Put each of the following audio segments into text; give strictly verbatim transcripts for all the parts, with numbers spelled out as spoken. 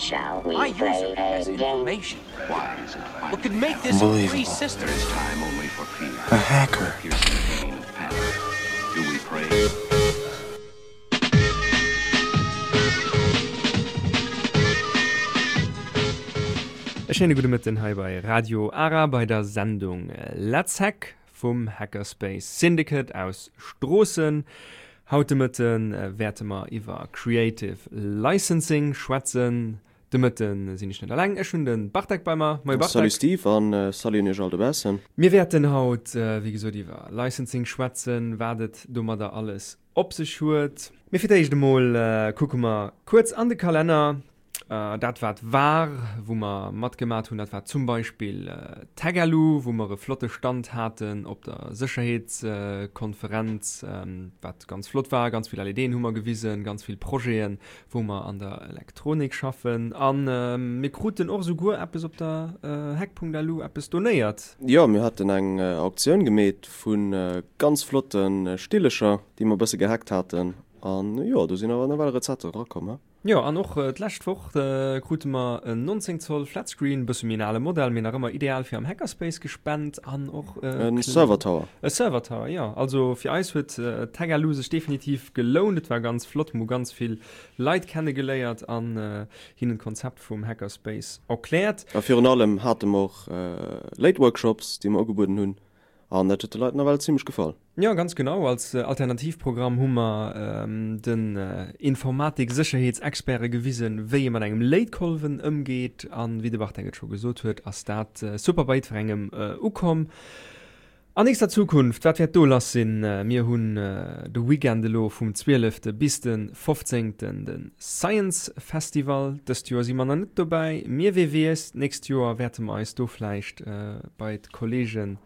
Shall we My play user has a game? information. Why is it What could make this a free Unbelievable. system? There is time only for fear. A hacker. Piercing pain of panic. Do we pray? E schéine gudde Mëtten hei bei Radio Ara bei der Sendung Let's Hack vum Hackerspace Syndicate aus Stroossen. Haut de Mëtten wäerte mer iwwer Creative Licensing schwätzen. De Mëtten sinn ech net alleng, ech hunn de Bartek bei mer. Moie Salut Bartek. Steve an salut un iech all dobaussen. Mir wäerten haut, wéi gesot, iwwer Licensing schwätzen, wat et domadder alles op sech huet. Mee fir d'éischt emol kucke mer kuerz an de Kalenner. Dat wat war, wou mer matgemat hunn, dat war zum Beispill Tagalu, wou mer e flotte Stand haten op der Sécherheetskonferenz, wat ganz flott war. Ganz vill L E Deen hu mer gewisen, ganz vill Projeten, wou mer an der Elektronik schaffen. A mir kruten och esouguer eppes op der Hack.lu eppes donéiert. Jo, mir haten eng Auktioun gemeet vu ganz flotte Stillecher, déi mer e bësse gehackt haten. An jo, do sinn awer nawell Rezepter erakomm, he? Jo, an och d'lescht Woch krute mer en nonzéng Zoll Flatscreen, bësse méi en ale Modell, mee nach ëmmer ideal fir am Hackerspace gespent an och E Server Tower. E Server Tower, jo. Also fir eis huet Tagalu sech definitiv gelount. Et war ganz flott, mir hu ganz vill Leit kennegeléiert an hinnen d'Konzept vum Hackerspace erkläert. A virun allem hate mer och Late Workshops, déi mer ugebueden hunn. An dat huet de Leit nawell zimmlech gefall. Jo, ganz genau. Als Alternativprogramm hu mer den Informatik-Sécherheetsexperte gewisen, wéi ee mat engem Léitkolwen ëmgeet. An wéi de Bartek et scho gesot huet, ass dat super bei jiddwerengem ukomm. An nächster Zukunft, wat wäert do lass sinn? Mir hunn de Weekend elo vum zwielefte bis de fofzéngten de Science Festival. Dëst Joer si mer nach net dobäi. Mee wee weess, d'nächst Joer wäerte mer eis do vläicht bei d'Kollegen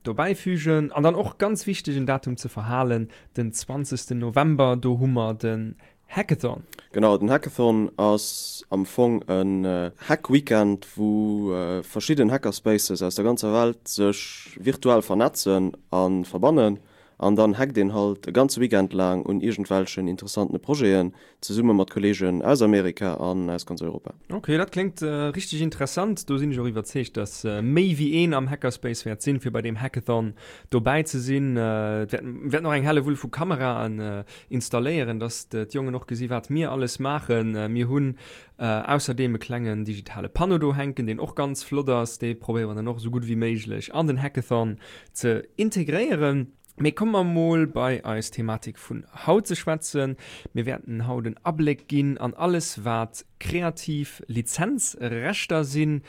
dobäifügen. An dann och ganz wichteg en Datum ze verhalen, den zwanzegsten November, do hu mer den Hackathon. Genau, den Hackathon ass am Fong en Hack-Weekend, wou verschidden Hackerspaces aus der ganzer Welt sech virtuell vernetzen a verbannen. An dann hackt een halt e ganze Weekend laang un iergendwelchen interessantene Projeten, zesumme mat Kolleegen aus Amerika an aus ganz Europa. Ok, dat kléngt richteg interessant. Do sinn ech och iwwerzeegt, dass méi wéi een am Hackerspace wäert sinn, fir bei deem Hackathon dobäi ze sinn. Et wäerten och eng Hellewull vu Kameraen installéieren, dass d'Jongen och gesi wat mir alles maachen. Mir hunn ausserdeem e klengen digitale Panneau do hänken, deen och ganz flott ass. Dee probéiere mer dann och esou gutt wéi méiglech an den Hackathon ze integréieren. Mee komme mer mol bei eis Thematik vun haut ze schwätzen. Mir wäerten haut en Abléck ginn an alles, wat kreativ Lizenzrechter sinn.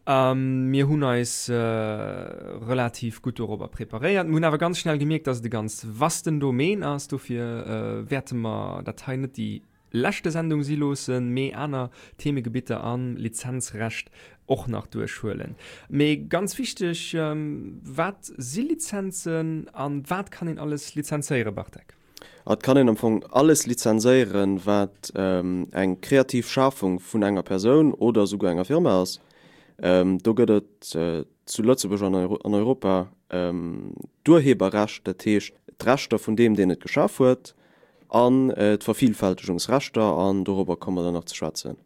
Mir hunn eis relativ gutt dorobber preparéiert. Mir hunn awer ganz schnell gemierkt, dass et e ganz vasten Domaine ass. Dofir wäerte mer dat hei net déi leschte Sendung si loossen, mee aner Themegebitter am Lizenzrecht och nach duerchhuelen. Mee ganz wichteg, wat si Lizenzen an wat kann een alles lizenzéieren, Bartek? Et kann een am Fong alles lizenzéieren, wat eng kreativ Schafung vun enger Persoun oder esouguer enger Firma ass. Do gëtt et zu Lëtzebuerg an an Europa d'Urheberrecht, dat heescht d'Rechter vun deem, deen et geschaf huet, an d'Vervielfältegungsrechter, an dorobber komme mer dann nach ze schwätzen.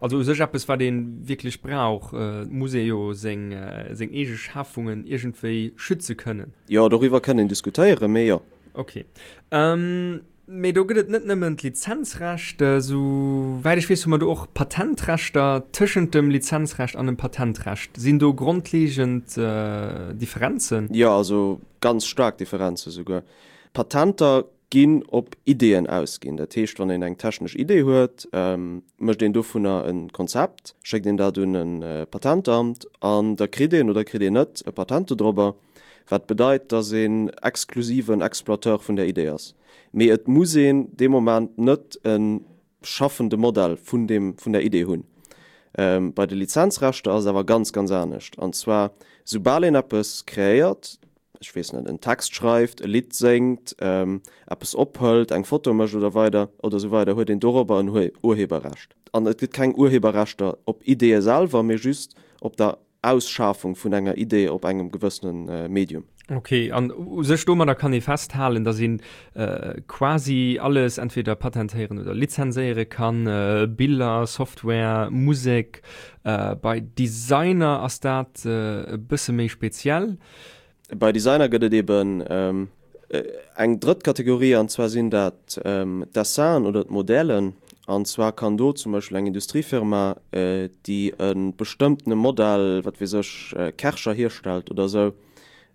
Also u sech eppes, wat ee wierklech brauch. Et muss ee jo seng seng eege Schafungen iergendwéi schütze kënnen. Jo, doriwwer kënn een diskutéieren, mee jo. Ok. Mee do gëtt et net nëmmen d'Lizenzrecht. Esou wäit ech weess, hu mer do och Patentrechter. Tëschent dem Lizenzrecht an dem Patentrecht, sinn do grondlegend Differenzen? Jo, also ganz staark Differenze souguer. Patenter ginn op Ideeën ausginn. Dat heescht, wann een eng technesch Idee huet, mécht een dovunner e Konzept, schéckt een dat un e Patentamt an da kritt een oder kritt een net e Patent dodrobber, wat bedeit, datt een exklusiven Exploiteur vun där Idee ass. Mee et muss een dee Moment net e schaffende Modell vun deem, vun der Idee hunn. Bei de Lizenzrechter ass et awer ganz, ganz anescht. An zwar, soubal een eppes kreéiert, ech weess net, en Text schreift, e Lidd séngt, eppes ophëlt, eng Foto mécht oder weider oder esou weider, huet een dorobber en Urheberrecht. An et gëtt keng Urheberrechter op Ideeë selwer, mee just op der Ausschafung vun enger Idee op engem gewëssene Medium. Ok, an u sech domadder kann ee festhalen, datt een quasi alles entweder patentéieren oder lizenséiere kann, Biller, Software, Musek. Bei Designer ass dat e bësse méi speziell. Bei Designer gëtt et eben eng drëtt Kategorie, an zwar sinn dat d'Dessinen oder d'Modellen. An zwar kann do zum Beispill eng Industriefirma, déi e bestëmmtene Modell, wat weess ech, Kärcher hierstellt oder esou,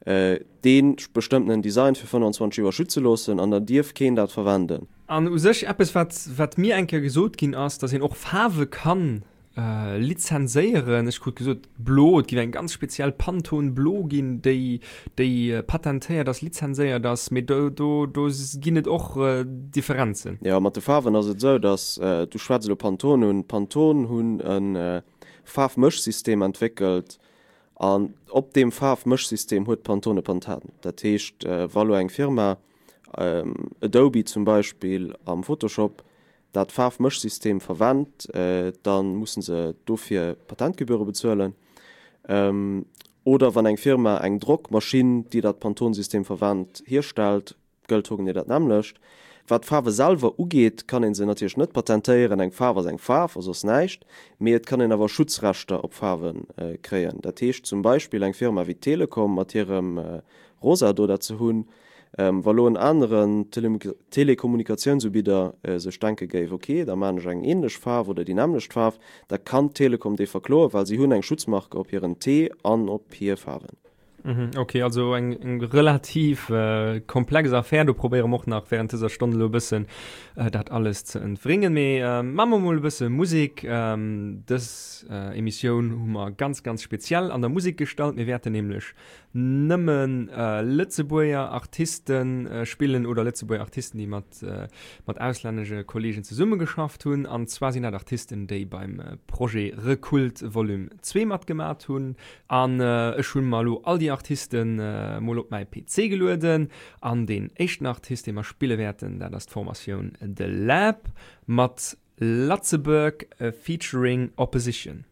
dee bestëmmtenen Design fir fënnwanzwanzeg Joer schütze loossen an dann dierf keen dat verwenden. An u sech eppes, wat, wat mir eng Kéier gesot ginn ass, dass een och Faarwe kann lizenséieren. Ech krut gesot, blo, et géif eng ganz speziell Pantone blo ginn, déi, déi patentéiert ass, lizenséiert ass, mee do, do, do ginn et och Differenzen. Jo, mat de Faarwen ass et esou, dass, du schwätz elo Pantone un, Pantone hunn e Faarfmëschsystem entwéckelt an op deem Faarfmëschsystem huet Pantone e Patent. Dat heescht, wa lo eng Firma, Adobe zum Beispill am Photoshop, dat Faarfmëschsystem verwennt, da musse se dofir Patentgebühre bezuelen. Oder wann eng Firma eng Drockmaschinn, déi dat Pantone-System verwennt, hierstellt, gëllt hogenee dat nämmlecht. Wat d'Faarwe selwer ugeet, kann ee se natierlech net patentéieren, eng Faarf ass eng Faarf a soss näischt, mee et kann een awer Schutzrechter op Faarwe kréien. Dat heescht zum Beispill eng Firma wéi d'Telekom mat hirem Rosa do, dat se hunn, Wa lo en aneren Telekommunikatiounsubider sech denke géif, ok, da maan ech eng ähnlech Faarf oder déi nämmlecht Faarf, da kann d'Telekom déi verkloen, well si hunn eng Schutzmarke op hiren T an op hir Faarwen. Ok, also eng relativ komplex Affär. Do probéiere mer och nach während dëser Stonn elo e bëssen dat alles ze entwringen. Mee maache mer mol e bësse Musek. Dës Emissioun hu mer ganz, ganz speziell an der Musek gestallt. Mir wäerten nämlech nëmmen Lëtzebuerger Artiste spillen oder Lëtzebuerger Artisten, déi mat mat auslännesche Kolleegen zesummegeschafft hunn. An zwar sinn dat Artisten, déi beim Projet Rekult Volume zwee matgemat hunn. An ech hunn mer elo all déi Artisten mol op mäi P C gelueden. An deen éischten Artist, dee mer spille wäerten, dat ass d'Formatioun The Lab mat Latzebuerg featuring Opposition.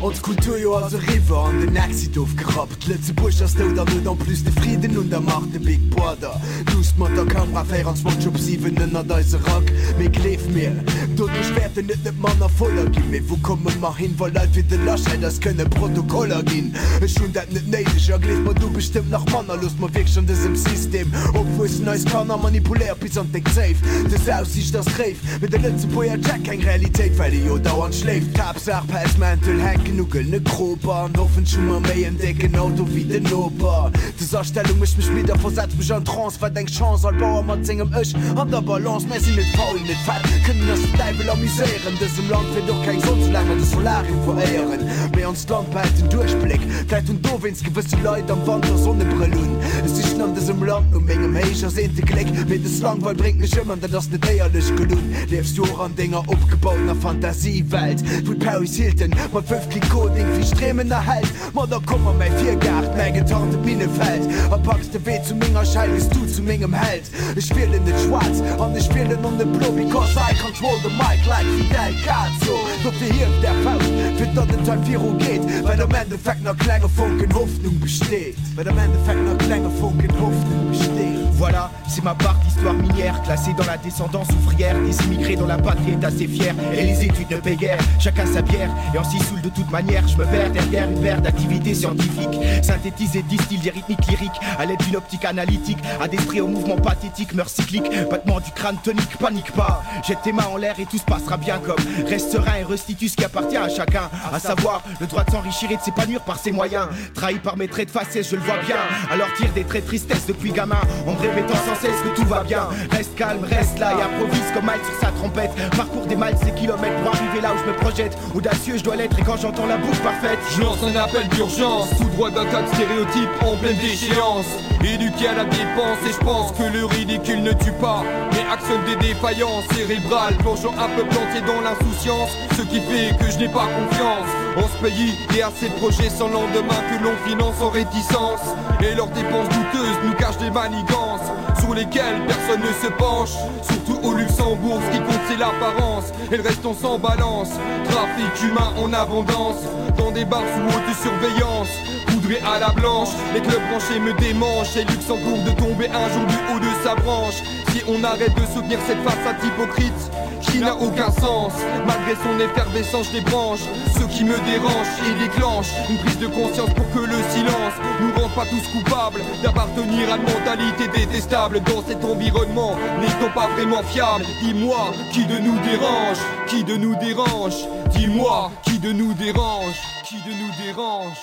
Ons Kulturjoer ass eriwwer an den Exit ofgerappt. Lëtzebuerg ass dout an huet en plus de Friden un der Macht. De Big Brother luusst mat der Kamera véierundzwanzeg op siwen ënnert eise Rack. Mee gleef mir, doduerch wäerten et net manner voller ginn. Mee wou komme mer hin, wa Leit wéi de Laschet eis kënne Protokoller ginn? Ech hunn dat net néideg a gleef mer, du bestëmmt nach manner. Loosst mer wierklech an dësem System opwuessen, eis Kanner manipuléiert bis an d'déck Zéif. Dës Aussiicht ass réif, mee de Lëtzebuerger checkt keng Realitéit, well e jo dauernd schléift. D'Haaptsaach Pelzmäntel hänken u gëllene Kroper an hoffentlech hu mer méi en décken Auto wéi den Noper. Des Astellung mécht mech midd a versetzt mech an Trance. Wat eng Chance, all Bauer mat sengem Ech an der Balance. Mär sinn net faul, net fett, kënnen eis den Däiwel amuséieren. Dësem Land feelt och keng Sonn, soulaang mer de Solarium veréieren. Mee onst Land behält den Duerchbléck, vläit hunn dowéinst gewësse Leit am Wanter Sonnebrëll un. Ech sichen an dësem Land no mengem héich ersehnte Gléck, mee des Langweil bréngt mech ëm an dat ass net éierlech gelunn. Liefs du och an denger opgebautener Fantasiewelt, wou d'Paris Hilton mat fënnf Klick Coding vill Streemen erhält? Ma da komm a mäi Virgaart, mäi getarnte Minnefeld, a packs de Wee zu menger Schell, bis du zu mengem Held. Ech wielen net schwaarz an ech wielen och net blo, because I control the mic like Fidel Cazzo. Dofir hieft är Fauscht, fir datt et hei viru geet, well am Endeffekt nach klenge Fonken Hoffnung besteet, well am Endeffekt nach klenge Fonken Hoffnung besteet. Voilà, c'est ma part d'histoire minière, classée dans la descendance ouvrière des immigrés dont la patrie est assez fière. Et les études ne paient guère, chacun sa bière, et on s'y saoule de toute manière. Je me perds derrière une paire d'activités scientifiques, synthétisées, distillent des rythmiques lyriques à l'aide d'une optique analytique, à des traits au mouvement pathétique, meurt cyclique, battement du crâne tonique, panique pas, jette tes mains en l'air et tout se passera bien comme reste serein et restitue ce qui appartient à chacun, à savoir le droit de s'enrichir et de s'épanouir par ses moyens. Trahi par mes traits de faciès, je le vois bien, alors tire des traits de tristesse depuis gamin, en me répétant sans cesse que tout va bien. bien. Reste calme, reste là et improvise comme mal sur sa trompette. Parcours des miles, des kilomètres pour arriver là où je me projette. Audacieux, je dois l'être et quand j'entends la bouche parfaite, je lance un appel d'urgence. Tout droit d'un tas de stéréotypes en pleine déchéance. Éduqué à la dépense et je pense que le ridicule ne tue pas, mais actionne des défaillances cérébrales, plongeant un peu planté dans l'insouciance, ce qui fait que je n'ai pas confiance en ce pays et à ces projets sans lendemain que l'on finance en réticence. Et leurs dépenses douteuses nous cachent des manigances sur lesquelles personne ne se penche. Surtout au Luxembourg, ce qui compte c'est l'apparence et le reste on s'en balance. Trafic humain en abondance, dans des bars sous haute surveillance. Poudré à la blanche, les clubs branchés me démangent. Et Luxembourg de tomber un jour du haut de sa branche. Si on arrête de soutenir cette façade hypocrite qui n'a aucun sens, malgré son effervescence des branches, ce qui me dérange et déclenche une prise de conscience pour que le silence nous rende pas tous coupables d'appartenir à une mentalité détestable. Dans cet environnement, n'étant pas vraiment fiable, dis-moi qui de nous dérange, qui de nous dérange, dis-moi qui de nous dérange, qui de nous dérange.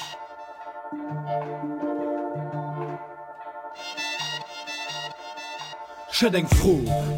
Ech hätt eng Fro,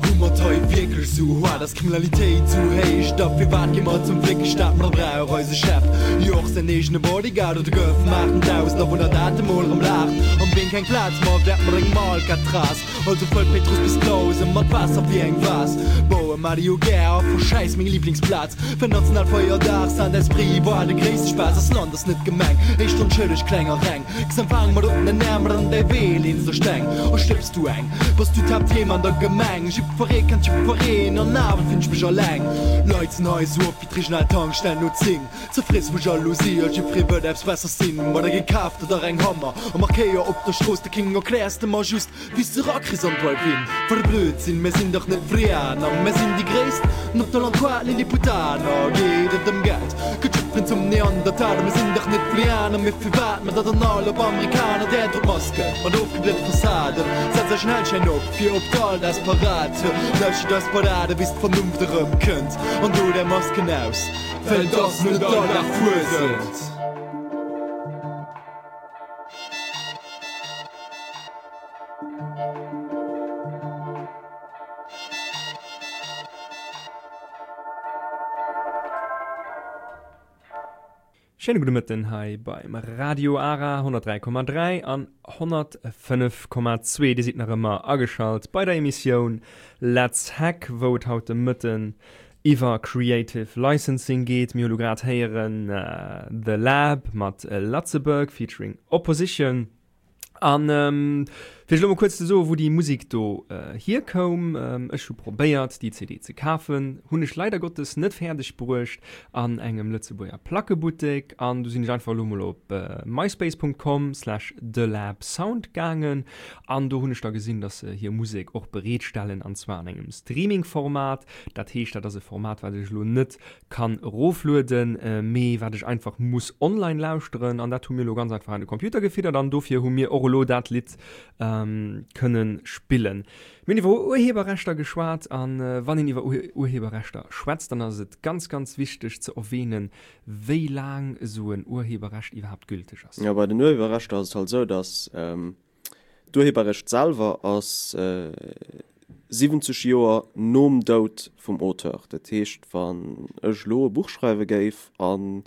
Hu mer et hei wierklech sou haart? Ass d'Kriminalitéit sou héich? Da firwat gi mer zum Fléckestaat? Ma da brauch eise Chef jo och säin eegene Bodyguard oder gouf maachten dausend Awunner dat emol erëm laacht? Am Ween keng Plaz ma wäert mat engem Alcatraz. Also fëll Péitruss bis Clausen mat Waasser wéi eng Vase. Baue mat jo gär a verschäiss meng Liblingsplaz. Fir Nationalfeierdag Saint-Esprit war de gréisste Spaass. Ass Land ass net Gemeng, éischt onschëlleg kleng a reng. X'empfaang mat oppenen Äerm an däi Wee leens der Steng. A stëbs du eng, bass du d'Haaptthema an der Gemeng. Jiddweree kennt jiddwereen an awer finn ech mech alleng. Leit sinn hei esou op wéi d'regional Tankstell no zéng. Zerfriess vu Jalousie a jiddweree wëllt eppes Bessers sinn. Ma der gekaaft oder eng Hammer a markéier op der Strooss de King. Erkläers de mer just wéi s de rakriss an Drive-In. Wat e Blödsinn, mir sinn dach net Frianer, mir sinn déi Gréisst op der Landkaart, Lilliputaner. Geet et ëm Geld, gëtt jiddwereen zum Neandertaler. Mir sinn dach net Frianer, mee firwat mer da dann all op Amerikaner? Där drot Maske mat ofgebliete Fassaden, setzt iech en Hellschäin op fir op d'Alldagsparade. Lauschtert eis Ballade bis d'Vernunft erëmkënnt an dot är Masken aus, well et ass net all Dag Fuesent. Schéine gudde Mëtten hei beim Radio Ara honnertdräi Komma dräi an honnertfënnef Komma zwee. Dir sidd nach ëmmer ageschalt bei der Emissioun Let's Hack, wou et haut de Mëtten iwwer Creative Licensing geet. Mir hu lo grad héieren The Lab mat Latzeburg featuring Opposition. An fir iech elo mol kuerz ze soen, wou déi Musek do hierkoum, Ech hu probéiert, déi C D ze kafen, hunn ech leider Gottes net fäerdeg bruecht an engem Lëtzebuerger Plackebuttek. An du sinn ech einfach elo mol op myspace punkt com slash thelabsound gaangen an do hunn ech da gesinn, dass se hir Musek och bereetstellen, an zwar an engem Streaming-Format. Dat heescht, dat ass e Format, wat ech elo net kann eroflueden, mee wat ech einfach muss online lauschteren, an dat hu mir elo ganz einfach an de Computer gefiddert an dofir hu mir och elo dat Lidd kënnen spillen. Mir hunn iwwer Urheberrechter geschwat, an wann een iwwer Urheberrechter schwätzt, dann ass et ganz, ganz wichteg ze erwähnen, wéi laang esou en Urheberrecht iwwerhaapt gülteg ass. Jo, bei den Urheberrechter ass et halt esou, dass d'Urheberrecht selwer ass siwwenzeg Joer nom Doud vum Auteur. Dat heescht, wann ech elo e Buch schreiwe géif an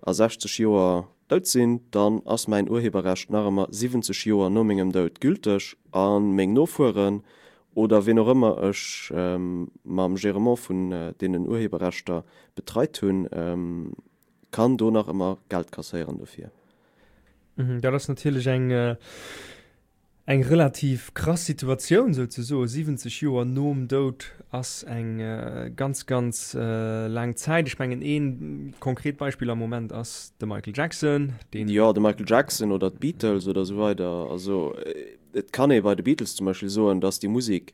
a sechzeg Joer dout sinn, dann ass mäin Urheberrecht nach ëmmer siwwenzeg Joer no mengem Doud gülteg a meng Nofueren oder ween och ëmmer ech mam Gerement vun deenen Urheberrechter betreit hunn, kann do nach ëmmer Geld kasséieren dofir. Dat ass natierlech eng eng relativ krass Situatioun souzesoen. Siwwenzeg Joer nom Doud ass eng ganz, ganz laang Zäit. Ech mengen, ee konkret Beispill am Moment ass de Michael Jackson, deen. Jo, de Michael Jackson oder d'Beatles oder esou weider. Also et kann ee bei de Beatles zum Beispill soen, datt déi Musek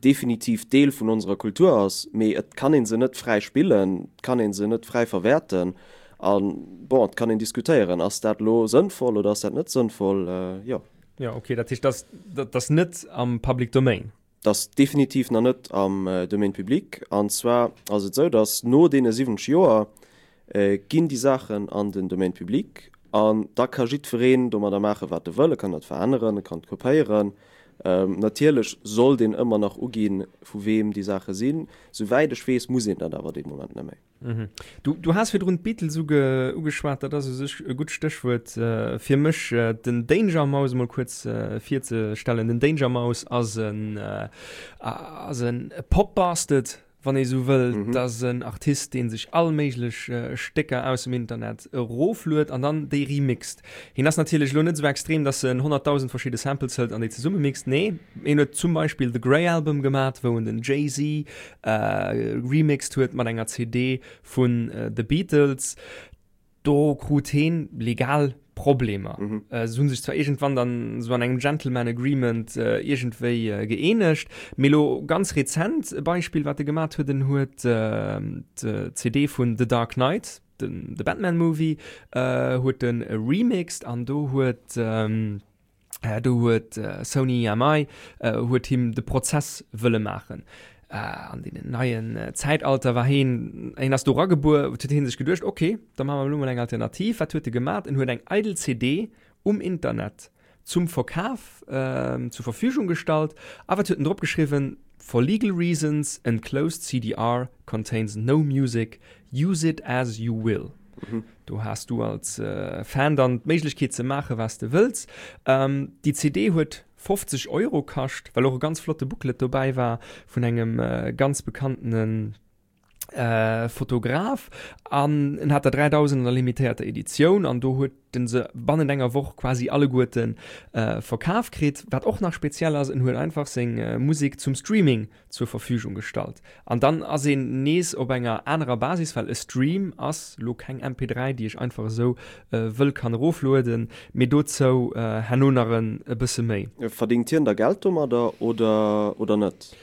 definitiv Deel vun onserer Kultur ass, mee et kann ee se net fräi spillen, et kann ee se net fräi verwäerten. A bon, et kann een diskutéieren, ass dat elo sënnvoll oder ass dat net sënnvoll? Jo. Jo, okay, dat heescht, dat, dat ass net am Public Domain? Dat ass definitiv nach net am Domaine public. An zwar ass et esou, datt no deene siwwenzeg Joer ginn déi Saachen an den Domaine public an da ka jiddwereen domadder maachen, wat e wëll. E kann dat veränneren, e kann et kopéieren, Natierlech sollt een ëmmer nach uginn, vu weem déi Saache sinn. Souwäit ech weess, muss een dat awer dee Moment net méi. Mhm. Du, du has virdrun d'Beatles uge, ugeschwat, dat ass u sech e gutt Stéchwuert äh, fir mech, äh, den Danger Mouse mol kuerz äh, virzestellen. Den Danger Mouse ass en, äh, ass en Pop-Bastard, wann ee sou wëll. Mhm. Dat ass en Artist, dee sech all méiglech äh, Stécker aus dem Internet erofluet an dann déi remixt. Hien ass natierlech lo net sou extrem, dass en honnertdausend verschidde Samples hëlt an déi zesummemixt. Nee, hien huet zum Beispill The Grey Album gemat, wou en den Jay-Z äh, remixed huet mat enger C D vun äh, The Beatles. Do krut hien legal Problemer. Mhm. Äh, se hunn sech zwar iergendwann dann sou an engem Gentleman Agreement, äh, iergendwéi, äh, gëeenegt, mee lo ganz rezent e Beispill, wat e gemat huet, en huet, äh, d'C D vun The Dark Knight, den, de Batman Movie, äh, huet en remixed an do huet, ähm, äh, do huet, äh, Sony E M I, äh, huet him de Prozess wëlle maachen. Äh, an deenen neien, äh, Zäitalter war hien, hien ass do ragebuer, huet hien sech geduecht, okay, da machen wir lo mol eng Alternativ. Wat huet e gemat? En huet eng eidel C D um Internet zum Verkauf, ähm, zur Verfügung gestallt, awer huet en drop geschriwwen, For legal reasons, enclosed C D R contains no music, use it as you will. Mhm. Do hast du als, äh, Fan dann d'Méiglechkeet ze maachen, was du wëlls. Ähm, déi C D huet fofzeg Euro kascht, well och e ganz flotte Booklet dobäi war vun engem, äh, ganz bekannten, äh, Fotograf. An en hat der dräidausend an der limitierter Editioun an do huet den se bannent enger Woch quasi alleguerten, äh, verkaf kritt. Wat och nach speziell ass, en huet einfach seng, äh, Musik zum Streaming zur Verfügung gestallt. An dann ass een nees op enger anerer Basis, well e Stream ass lo keng M P drei, déi ech einfach esou, äh, wëll kann eroflueden, mee dozou, äh, herno nach en, e bësse méi. Verdingt hien da Geld domadder oder, oder net?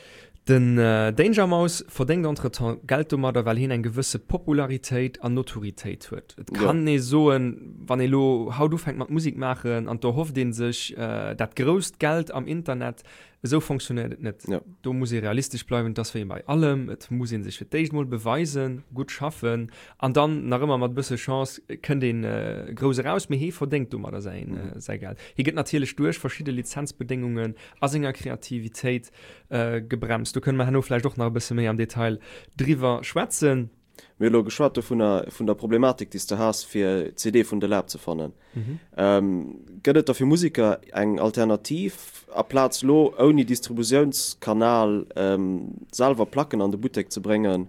Den, äh, Danger Mouse verdéngt entretemps Geld domadder, well hien eng gewësse Popularitéit an Notoritéit huet. Et Ja. kann ee soen, wann ee lo haut ufänkt mat Musik maachen an do hofft een sech, äh, dat grousst Geld am Internet, esou funktioniert et net. Ja. Do muss ee realistesch bleiwen, dass wéi bei allem, et muss een sech fir d'éischt mol beweisen, gutt schaffen an dann nach ëmmer mat bësse Chance kënnt een, äh, grouss eraus, mee hie verdéngt domadder säin, Mhm. äh, säi Geld. Hie gëtt natierlech duerch verschidde Lizenzbedingungen a senger Kreativitéit, äh, gebremst. Do kënne mer herno vläicht och nach e bësse méi am Detail driwwer schwätzen. Mir hu lo geschwat dovunner, vun der Problematik, déi s du has, fir C D vun de Lab ze fannen. Mhm. Ähm, gëtt et da fir Musiker eng Alternativ, aplaz lo ouni Distributiounskanal, ähm, selwer Placken an de Buttek ze bréngen?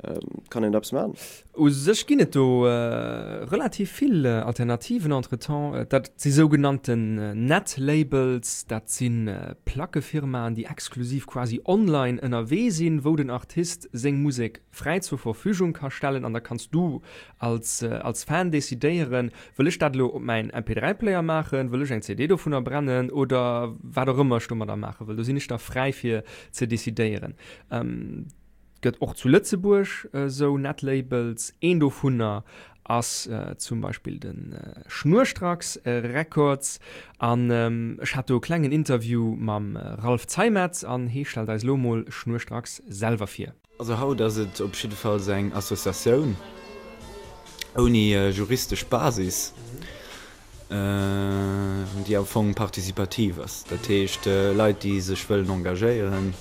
Ähm, kann een dat machen? U sech ginn et do, äh, relativ vill, äh, Alternativen entretemps. Äh, dat si sougenannten, äh, Net-Labels, dat sinn, äh, Plackefirmaen, déi exklusiv quasi online ënnerwee sinn, wou den Artist seng Musek fräi zur Verfügung ka stellen an da kannst du als, äh, als Fan decidéieren, wëll ech dat lo op mein M P drei Player machen, wëll ech eng C D dovunner brennen oder wat och ëmmer ech domadder maache wëll. Do sinn ech da fräi fir ze decidéieren. Ähm, gëtt och zu Lëtzebuerg, äh, sou Netlabels. Een dovunner ass, äh, zum Beispill den, äh, Schnurstracks, äh, Records. An, ähm, ech hat do e klengen Interview mam, äh, Ralf Zeimetz an hie stellt eis lo mol Schnurstracks selwer vir. Also haut ass et op jidde Fall eng Associatioun ouni, äh, juristesch Basis, äh, déi am Fong partizipativ ass. Dat heescht, äh, Leit, déi sech wëllen engagéieren,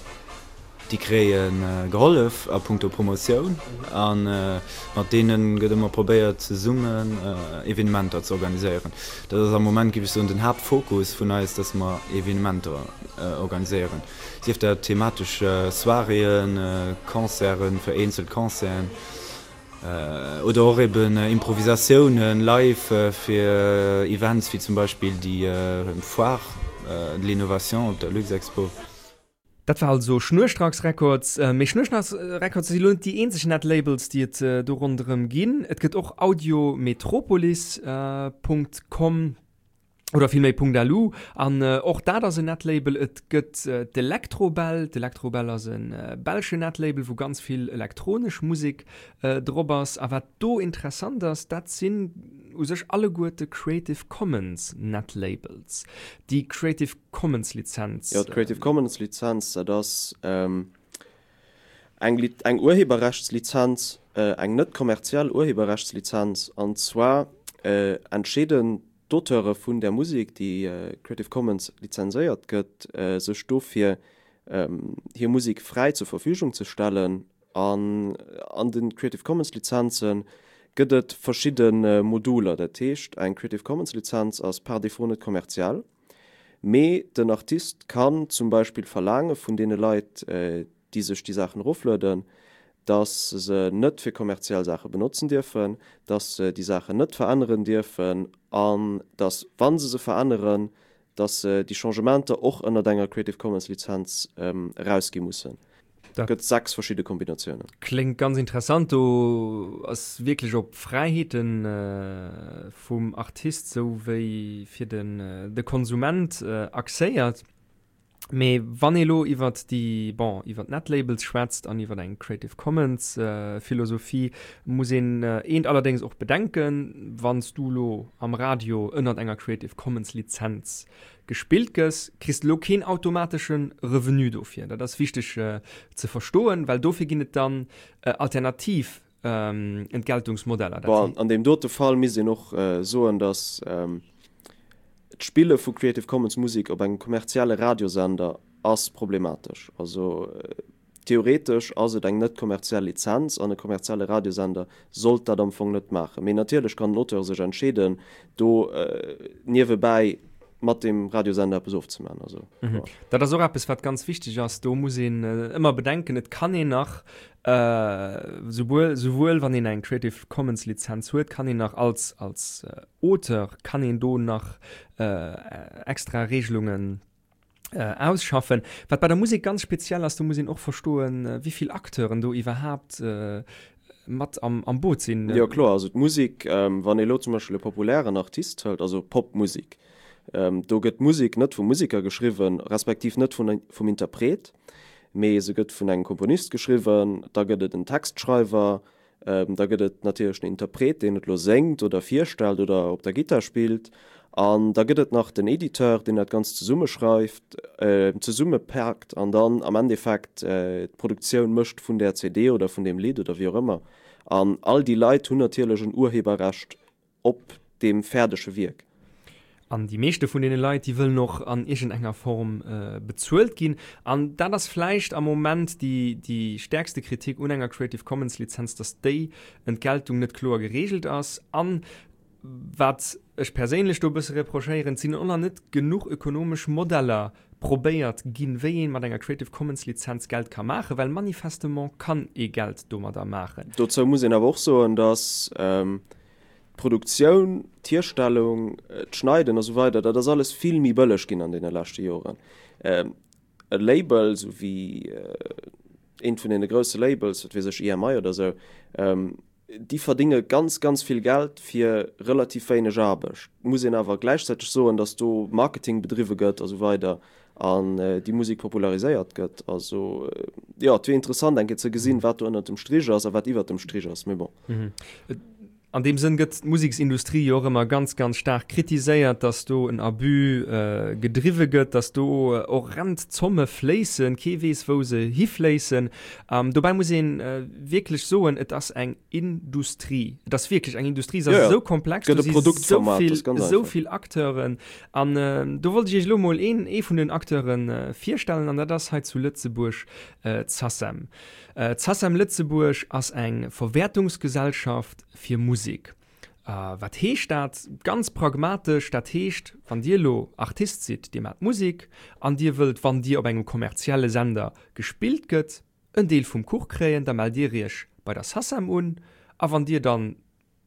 déi kréien, äh, gehollef a puncto Promotioun an, äh, mat deenen gëtt ëmmer probéiert zesummen, äh, Evenementer ze organiséieren. Dat ass am Moment, gif ech soen, den Hauptfokus vun eis, dass mer Evenementer, äh, organiséieren. Sief dat thematesch, äh, Soiréeën, äh, Concerten, vereenzel Concerten, äh, oder och eben, äh, Improvisatiounen live, äh, fir, äh, Events wie zum Beispiel die, äh, Foire, äh, de l'Innovation op der Luxexpo. Dat war also Schnurstracks Records. Äh, mee Schnurstracks Records si lo net déi eenzeg Netlabels, déi et, äh, do ronderëm ginn. Et gëtt och Audio Metropolis, äh, Punkt com oder vielméi Punkt L U. An, äh, och dat ass en Netlabel. Et gëtt, äh, d'Electrobel. D'Electrobel ass en, äh, belsche Netlabel, wou ganz vill elektronesch Musik, äh, drop ass. A wat do interessant ass, dat sinn u sech alleguerte Creative Commons Netlabels. Déi Creative Commons Lizenz. Ja, d'Creative Commons Lizenz, dat ass, ähm, eng Li-, eng Urheberrechtslizenz, äh, eng net kommerziell Urheberrechtslizenz, an zwar, äh, entscheeden d'Auteure vun där Musek, déi Creative Commons lizenséiert gëtt, sech dofir hir Musek fräi zur Verfügung ze stellen. An an de Creative Commons Lizenze gëtt et verschidde Moduler. Dat heescht, eng Creative Commons Lizenz ass par défaut net kommerziell, mee den Artist kann zum Beispill verlaange vun deene Leit, déi sech déi Saachen eroflueden, dass se net fir kommerziell Saache benotzen dierfen, dass se déi Saachen net veränneren dierfen an dass, wa se se veränneren, dass se déi Changementer och ënnert enger Creative Commons Lizenz erausgi mussen. Dat gëtt sechs verschidde Kombinatiounen. Kléngt ganz interessant. Do ass wierklech op Fräiheete vum Artist sou wéi fir den de Konsument axéiert. Mee wann ee lo iwwert déi, bon, iwwert Netlabels schwätzt an iwwert eng Creative Commons Philosophie, muss een eent allerdéngs och bedenken, Wann s du lo am Radio ënnert enger Creative Commons Lizenz gespillt gëss, kriss de lo keen automatesche Revenu dofir. Dat ass wichteg ze verstoen, well dofir ginn et dann alternativ Entgeltungsmodeller. Dat Bon, an deem dote Fall misst een och soen, datt d'Spille vu Creative Commons Musek op engem kommerzielle Radiosender ass problematesch. Also theoretesch ass et eng net kommerziell Lizenz an e kommerzielle Radiosender sollt dat am Fong net maachen. Mee natierlech kann den Auteur sech entscheeden, do niewebäi mat deem Radiosender eppes ofzemaachen. Also, mhm. ja. Dat ass och eppes, wat ganz wichteg ass. Do muss een ëmmer bedenken, et kann een nach, souwuel, souwuel wann een eng Creative Commons Lizenz huet, kann een nach als, als Auteur kann een do nach extra Regelungen ausschaffen. Wat bei der Musek ganz speziell ass, do muss een och verstoen, wéi vill Acteuren do iwwerhaapt mat am, am Boot sinn. Jo kloer, also d'Musek, wann ee lo zum Beispill e populären Artist hëlt, also Popmusek, do gëtt d'Musek net vum Museker geschriwwen, respektiv net vun, vum Interpret, mee se gëtt vun engem Komponist geschriwwen, da gëtt et en Textschreiwer, da gëtt et natierlech den Interpret, deen et lo séngt oder virstellt oder op der Gittar spillt, an da gëtt et nach den Editeur, deen dat Ganzt zesummeschreift, zesummepaakt an dann am Endeffekt d'Produktioun mécht vun där C D oder vun deem Lidd oder wéi och ëmmer. An all déi Leit hunn natierlech en Urheberrecht op deem fäerdege Wierk. An déi meeschte vun deene Leit, déi wëllen och an iergendenger Form bezuelt ginn. An dat ass vläicht am Moment déi, déi stäerkste Kritik un enger Creative Commons Lizenz, dass déi Entgeltung net kloer geregelt ass. An wat ech perséinlech do e bësse reprochéieren, et sinn och nach net genuch ökonomesch Modeller probéiert ginn, wéi ee mat enger Creative Commons Lizenz Geld ka maachen, well manifestement kann ee Geld domadder maachen. Dozou muss een awer och soen, dass d'Produktioun, d'Hierstellung, d'Schneiden a sou weider, dat ass alles vill méi bëlleg ginn an deene leschte Joren. E Label, sou wéi eent vun deene grousse Labels, wat weess ech, E M I oder sou, déi verdinge ganz, ganz vill Geld fir relativ wéineg Aarbecht. Et muss een awer gläichzäiteg soen, datt do Marketing bedriwwe gëtt a sou weider an déi Musek populariséiert gëtt. Also jo, et wier interessant eng Kéier ze gesinn, wat do ënnert dem Strich ass a wat iwwert dem Strich ass, mee bon. An deem Sënn gëtt d'Museksindustrie jo och ëmmer ganz, ganz staark kritiséiert, dass do en Abus gedriwwe gëtt, dass do horrend Zomme fléissen, kee weess, wou se hifléissen. Dobäi muss ee wierklech soen, et ass eng Industrie. Et ass wierklech eng Industrie, se ass esou komplex, do si esou vill, esou vill Acteuren. An do wollt ech Iech elo mol een, ee vun den Acteure virstellen, an dat ass hei zu Lëtzebuerg d'SACEM. D'SACEM Lëtzebuerg ass eng Verwäertungsgesellschaft fir Musek. Wat heescht dat? Ganz pragmatesch, dat heescht, wann Dir elo Artist sidd, Dir maacht Musek an Dir wëllt, wann Dir op engem kommerzielle Sender gespillt gëtt, en Deel vum Kuch kréien, da mellt Dir Iech bei der SACEM un a wann Dir dann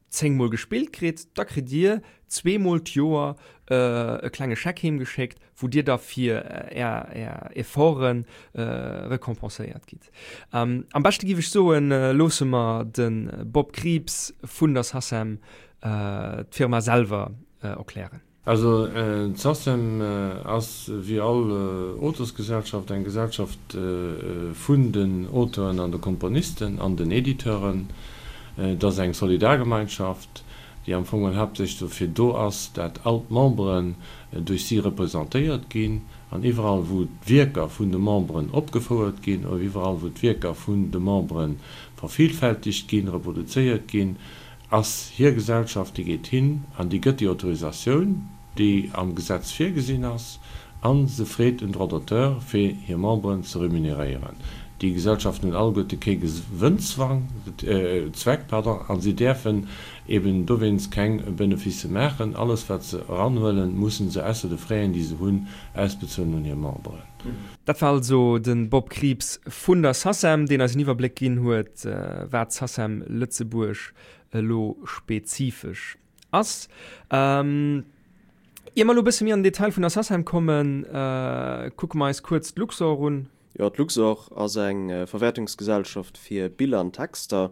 zéng Mol gespillt kritt, da kritt Dir zwee Mol d'Joer e klenge Scheck heemgeschéckt, wou Dir da fir Är, Är Efforte recompenséiert gitt. Am beschte giff ech soen, loosse mer de Bob Krieps vun der SACEM d'Firma selwer erklären. Also d'SACEM ass wéi all Auteursgesellschaft eng Gesellschaft vun den Auteuren an de Komponisten an den Editeuren. Et ass eng Solidargemeinschaft, déi am Fong haaptsächlech dofir do ass, dat all d'Memberen duerch si representéiert ginn an iwwerall wou d'Wierker vun de Memberen opgefouert ginn oder iwwerall wou d'Wierker vun de Membere vervielfältegt ginn, reproduzéiert ginn, ass hir Gesellschaft, déi geet hin an déi gëtt déi Autorisatioun, déi am Gesetz virgesinn ass, a se freet en Droit d'auteur, fir hir Memberen ze remuneréieren. Déi Gesellschaften hunn alleguerte kee Gewënnzwang, Zweck, pardon, a si däerfen eben dowéinst keng Beneficë maachen. Alles, wat se eranhuelen, mussen se, ausser de Fräen, déi se hunn, ausbezuelen un hir Memberen. Dat war also de Bob Krieps vun der SACEM, deen eis en Iwwerbléck ginn huet, wat d'SACEM Lëtzebuerg elo spezifesch ass. Ier mer elo e bësse méi an den Detail vun der SACEM kommen, kucke mer eis kuerz d'Luxor un. Jo, d'Luxor ass eng Verwäertungsgesellschaft fir Biller an Texter.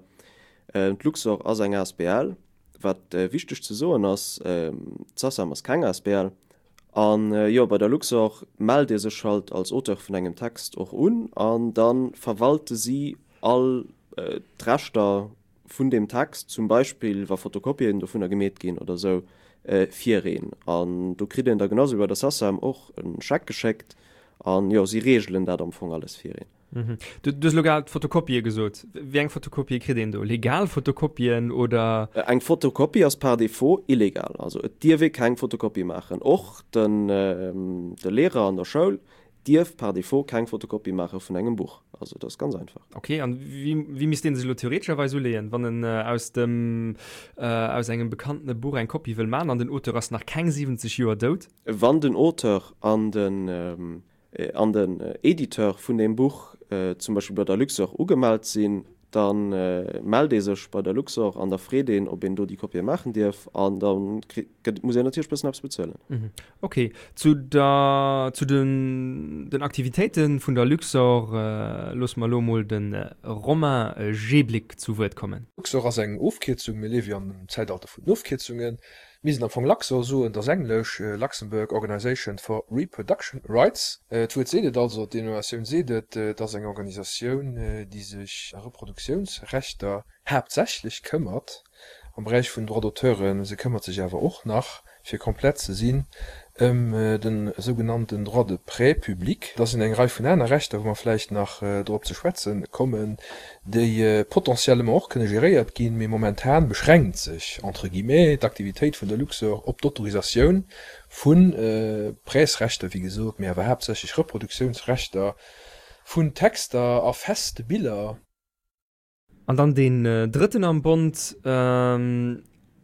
D'Luxor ass eng asbl. Wat wichteg ze soen ass, d'SACEM ass keng asbl. An jo, bei der Luxor mellt ee sech halt als Auteur vun engem Text och un an da verwalte si all d'Rechter vun deem Text, zum Beispill wa Fotokopien dovunner gemeet ginn oder sou, fir een. An do kritt een da genau sou wéi bei der SACEM och e Scheck geschéckt an jo, si reegelen dat am Fong alles fir een. Du hues elo grad Fotokopië gesot. Wéi eng Fotokopië kritt een do? Legal Fotokopien oder? Eng Fotokopie ass par défaut illegal. Also et dierf ee keng Fotokopie maachen. Och de Lehrer an der Schoul dierf par défaut keng Fotokopie maache vun engem Buch. Also dat ass ganz einfach. Ok, an wéi misst ee sech elo theoretescherweis uleeën, wann en aus dem, aus engem bekannene Buch eng Kopie wëll maachen an den Auteur ass nach keng siwwenzeg Joer dout? Wann den Auteur an den an den Editeur vun deem Buch zum Beispill bei der Luxor ugemellt sinn, da mellt ee sech bei der Luxor an da freet een, ob een do déi Kopië maachen dierf an da muss een natierlech bëssen eppes bezuelen. Ok. Zu der, zu den, den Aktivitéite vun der Luxor loosse mer elo mol de Romain Jeblick zu Wuert kommen. Luxor ass eng Ofkierzung, mir liewe jo an dem Zäitalter vun den Ofkierzungen. Mir sinn am Fong Luxor soen, dat ass Englesch, Luxembourg Organisation for Reproduction Rights. D'Wuert seet et also, d'Denominatioun seet et, et ass eng Organisatioun, déi sech Reproduktiounsrechter haaptsächlech këmmert am Beräich vun Droits d'auteuren. Se këmmert sech awer och nach, fir komplett ze sinn, ëm de sougenannten Droit de prêt public. Da sinn eng Rei vun aner Rechter, wou mer vläicht nach drop ze schwätze kommen, déi potentiellement och kënne geréiert ginn, mee momentan beschränkt sech, entre guillemets, d'Aktivitéit vun der Luxor op d'Autorisatioun vu Prêtsrechter, wéi gesot, mee awer haaptsächlech Reproduktiounsrechter vun Texter a feste Biller. An dann deen drëtten am Bond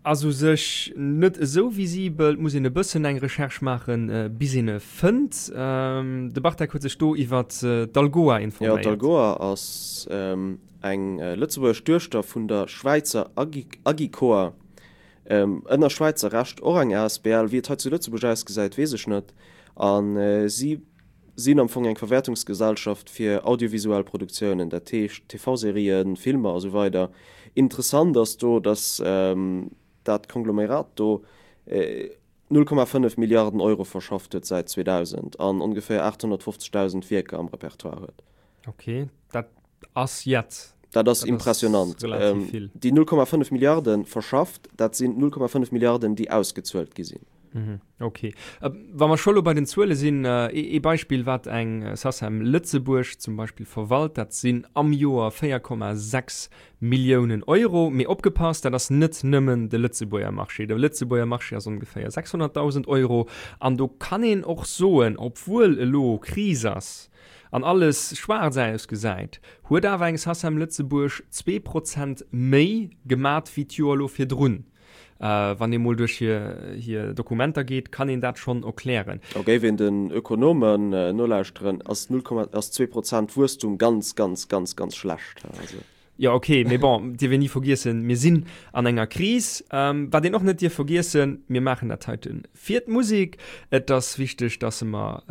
ass u sech net esou visibel, et muss een e bëssen eng Recherche maachen, bis een e fënnt. De Bartek huet sech do iwwer d'Algoa Jo, informéiert. d'Algoa ass eng lëtzebuergesch Duechter vun der Schwäizer Agicoa, ënner Schwäizer Recht och eng asbl. Wéi et hei zu Lëtzebuerg ausgesäit, weess ech net. A si sinn am Fong eng Verwäertungsgesellschaft fir audiovisuell Produktiounen, dat heescht T V-Serien, Filmer a sou weider. Interessant ass do, datt dat Konglomerat do null Komma fënnef Milliarden Euro verschafft huet säit zweedausend an ongeféier aathonnertfofzegdausend Wierker am Repertoire huet. Ok, dat ass jett. Dat ass impressionant. Déi null Komma fënnef Milliarde verschafft, dat sinn null Komma fënnef Milliarden, déi ausgezuelt gi sinn. Ok. Wa mer scho lo bei den Zuele sinn, ee Beispill, wat eng SACEM Lëtzebuerg zum Beispill verwalt, dat sinn am Joer véier Komma sechs Milliounen Euro. Mee opgepasst, dat ass net nëmmen de Lëtzebuerger Marché. De Lëtzebuerger Marché ass ongeféier sechshonnertdausend Euro. An do kann een och soen, obwuel elo Kris ass an alles schwaarz ausgesäit, huet awer eng SACEM Lëtzebuerg zwee Prozent méi gemat wéi d'Joer elo virdrun. Wann ee mol duerch hir Dokumenter geet, kann een dat schonn erklären. A géif een den Ökonomen nolauschteren, ass null Komma, ass zwee Prozent Wuesstum ganz, ganz, ganz, ganz schlecht. Also. Jo, ok, mee bon, dierf een ni vergiessen, mir sinn an enger Kris. Wat een och net dierf vergiessen, mir maachen dat heite fir d'Musek. Et ass wichteg, dass mer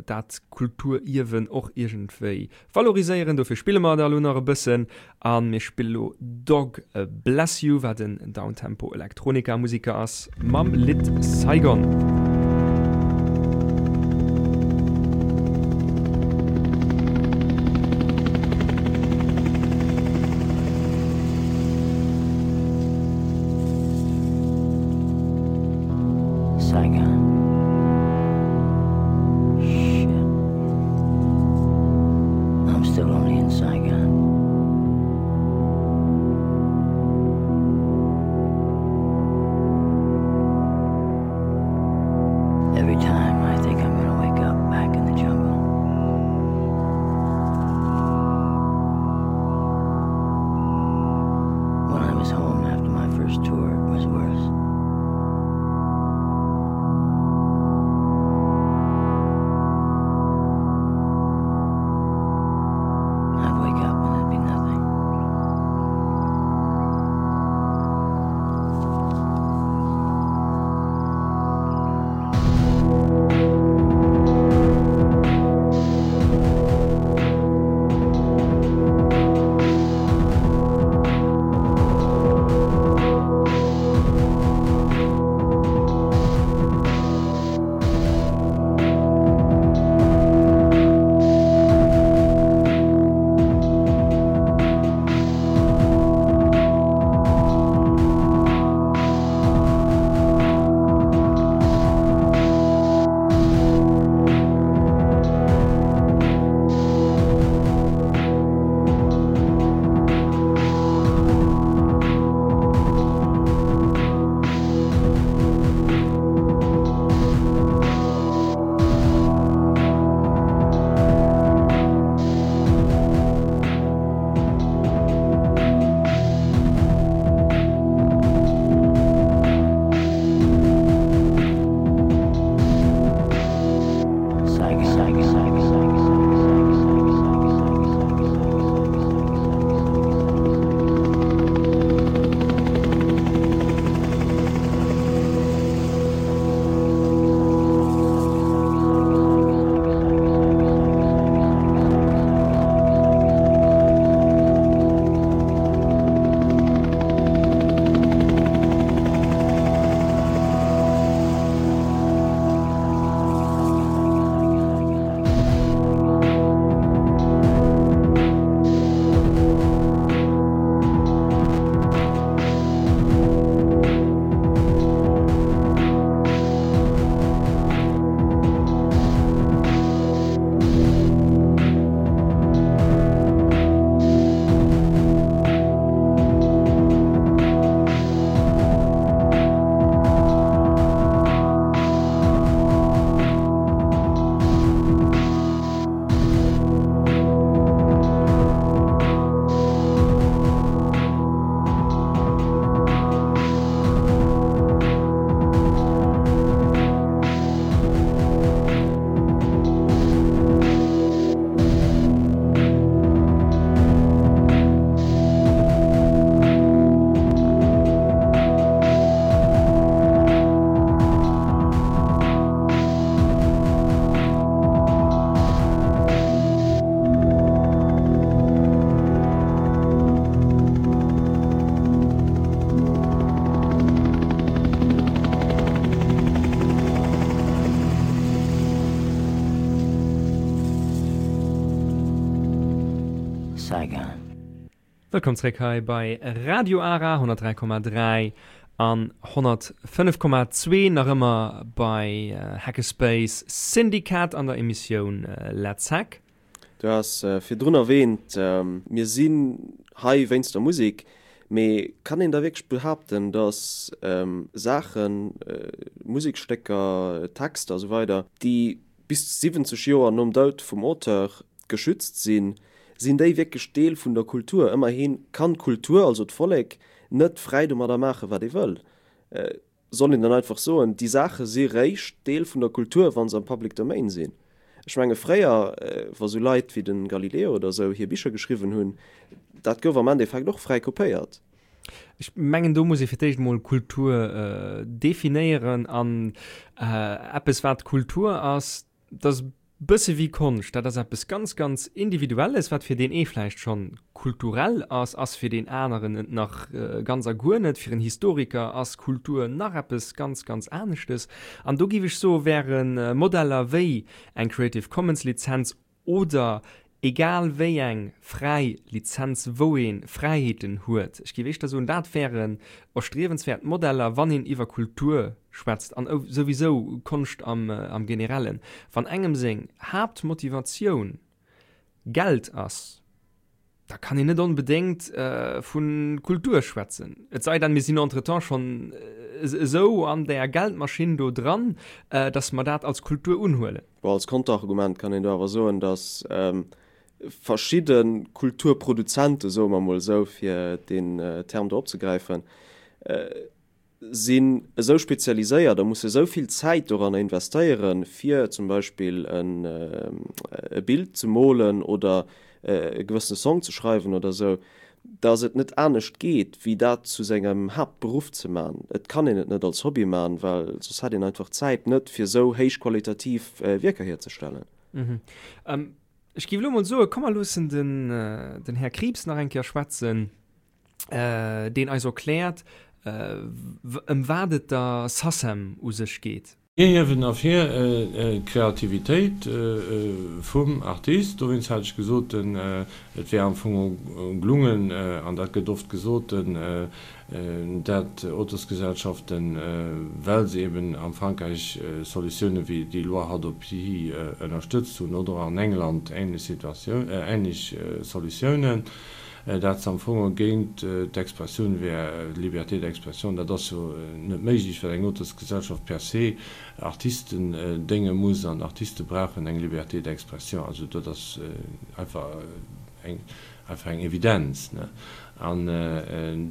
dat Kulturierwen och iergendwéi valoriséieren. Dofir spille mer da elo nach e bëssen. A mir spille lo Dog Bless You, wat en Downtempo Elektronika Musiker ass, mam Lidd Saigon. Saigon. Shit. I'm still only in Saigon. Saigon. Wëllkomm zréck hei bei Radio Ara honnertdräi Komma dräi an honnertfënnef Komma zwee, nach ëmmer bei Hackerspace Syndicat an der Emissioun Let's Hack. Du has virdrun erwähnt, mir sinn hei wéinst der Musek, mee kann een da wierklech behaapten, dass Saachen, Musekstécker, Texter a sou weider, déi bis siwwenzeg Joer nom Doud vum Auteur geschützt sinn, sinn déi wierklech Deel vun der Kultur? Ëmmerhi kann d'Kultur, also d'Vollek, net fräi domadder maachen, wat ee wëll. Soll een dann einfach soen, déi Saache si réischt Deel vun der Kultur, wa se am Public Domain sinn? Ech menge fréier, wa sou Leit wéi de Galileo oder sou hir Bicher geschriwwen hunn, dat gouf am Endeffekt och fräi kopéiert. Ech mengen, do muss ee fir d'éischt emol Kultur definéieren. An eppes, wat Kultur ass, dat ass e bësse wéi Konscht. Dat ass eppes ganz, ganz Individuelles, wat fir deen ee vläicht schonn kulturell ass, ass fir deen aneren et nach ganz a guer net. Fir en Historiker ass Kultur nach eppes ganz, ganz aneschtes. An do géif ech soen, wäre Modeller wéi eng Creative Commons Lizenz oder egal wéi eng fräi Lizenz, wou ee Fräiheeten huet, ech géif éischter soen, dat wären erstriewenswäert Modeller, wann een iwwer Kultur schwätzt an souwisou Konscht am Generellen. Wann engem seng Haaptmotivatioun Geld ass, da kann een net onbedéngt vu Kultur schwätzen. Et sei denn, mir sinn entretemps schonn esou an där Geldmaschinn do dran, datt mer dat als Kultur unhuelen. Bon, als Konterargument kann een do awer soen, datt verschidde Kulturproduzenten, soe mer emol esou, fir deen Term do opzegräifen, sinn esou spezialiséiert a musse esou vill Zäit doranner investéieren, fir zum Beispill e Bild ze molen oder e gewëssene Song ze schreiwen oder esou, datt et net anescht geet, wéi dat zu sengem Haaptberuff ze man. Et kann een et net als Hobby man, well soss hätt een einfach d'Zäit net, fir esou héichqualitativ Wierker hierzestellen. Ech géif elo mol soen, komm mer loossen den, den Här Krieps nach eng Kéier schwätzen, deen eis erkläert, ëm wat et der SACEM u sech geet. Mir hiewen ervir d'Kreativitéit vum Artist. Dowéinst hat ech gesot, et wär am Fong gelungen, an dat gëtt oft gesot, dat Auteursgesellschaften, well se eben am Frankräich Solutioune wéi déi Loi Hadopi ënnerstëtzt hunn, oder an England ähnlech Situatioun, ähnlech Solutiounen, dat se am Fong géint d'Expressioun wär, d'Liberté d'expression. Dat ass jo net méiglech, well eng Auteursgesellschaft per se Artisten dénge muss, an Artiste brauchen eng Liberté d'expression. Also dat ass einfach eng einfach eng Evidenz. An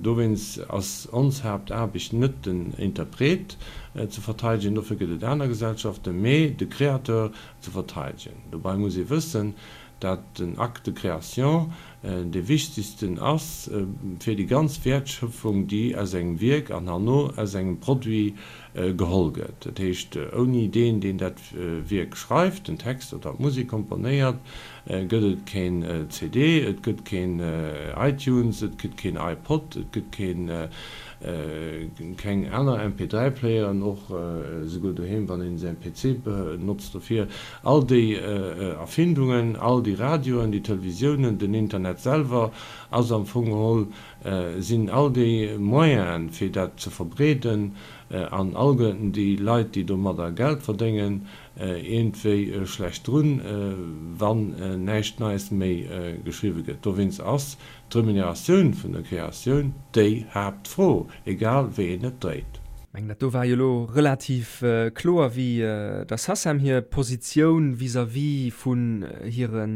dowéinst ass ons Haaptaarbecht net den Interpret ze verteidegen, dofir gëtt et aner Gesellschaften, mee de Créateur ze verteidegen. Dobei muss ee wëssen, dat den Acte de création dee wichtegsten ass fir déi ganz Wäertschöpfung, déi aus engem Wierk an herno aus engem Produit geholl gëtt. Dat heescht, ouni deen, deen dat Wierk schreift, den Text oder d'Musek komponéiert, gëtt et keen C D, et gëtt keen iTunes, et gëtt keen iPod, et gëtt keen, keng aner M P dräi Playeren, och esouguer doheem, wann een säin P C benotzt dofir. All déi Erfindungen, all déi Radioen, déi Televisiounen, den Internet selwer ass am Fong geholl, sinn all déi Moyenen, fir dat ze verbreeden, an alleguerten déi Leit, déi domadder Geld verdéngen, iergendwéi schlecht drun, wann näischt Neies méi geschriwwe gëtt. Dowéinst ass d'Remuneratioun vun der Kreatioun déi Haaptfro, egal wéi een et dréit. Ech mengen, dat do war jo elo relativ kloer, wéi der SACEM hir Positioun vis-à-vis vun hire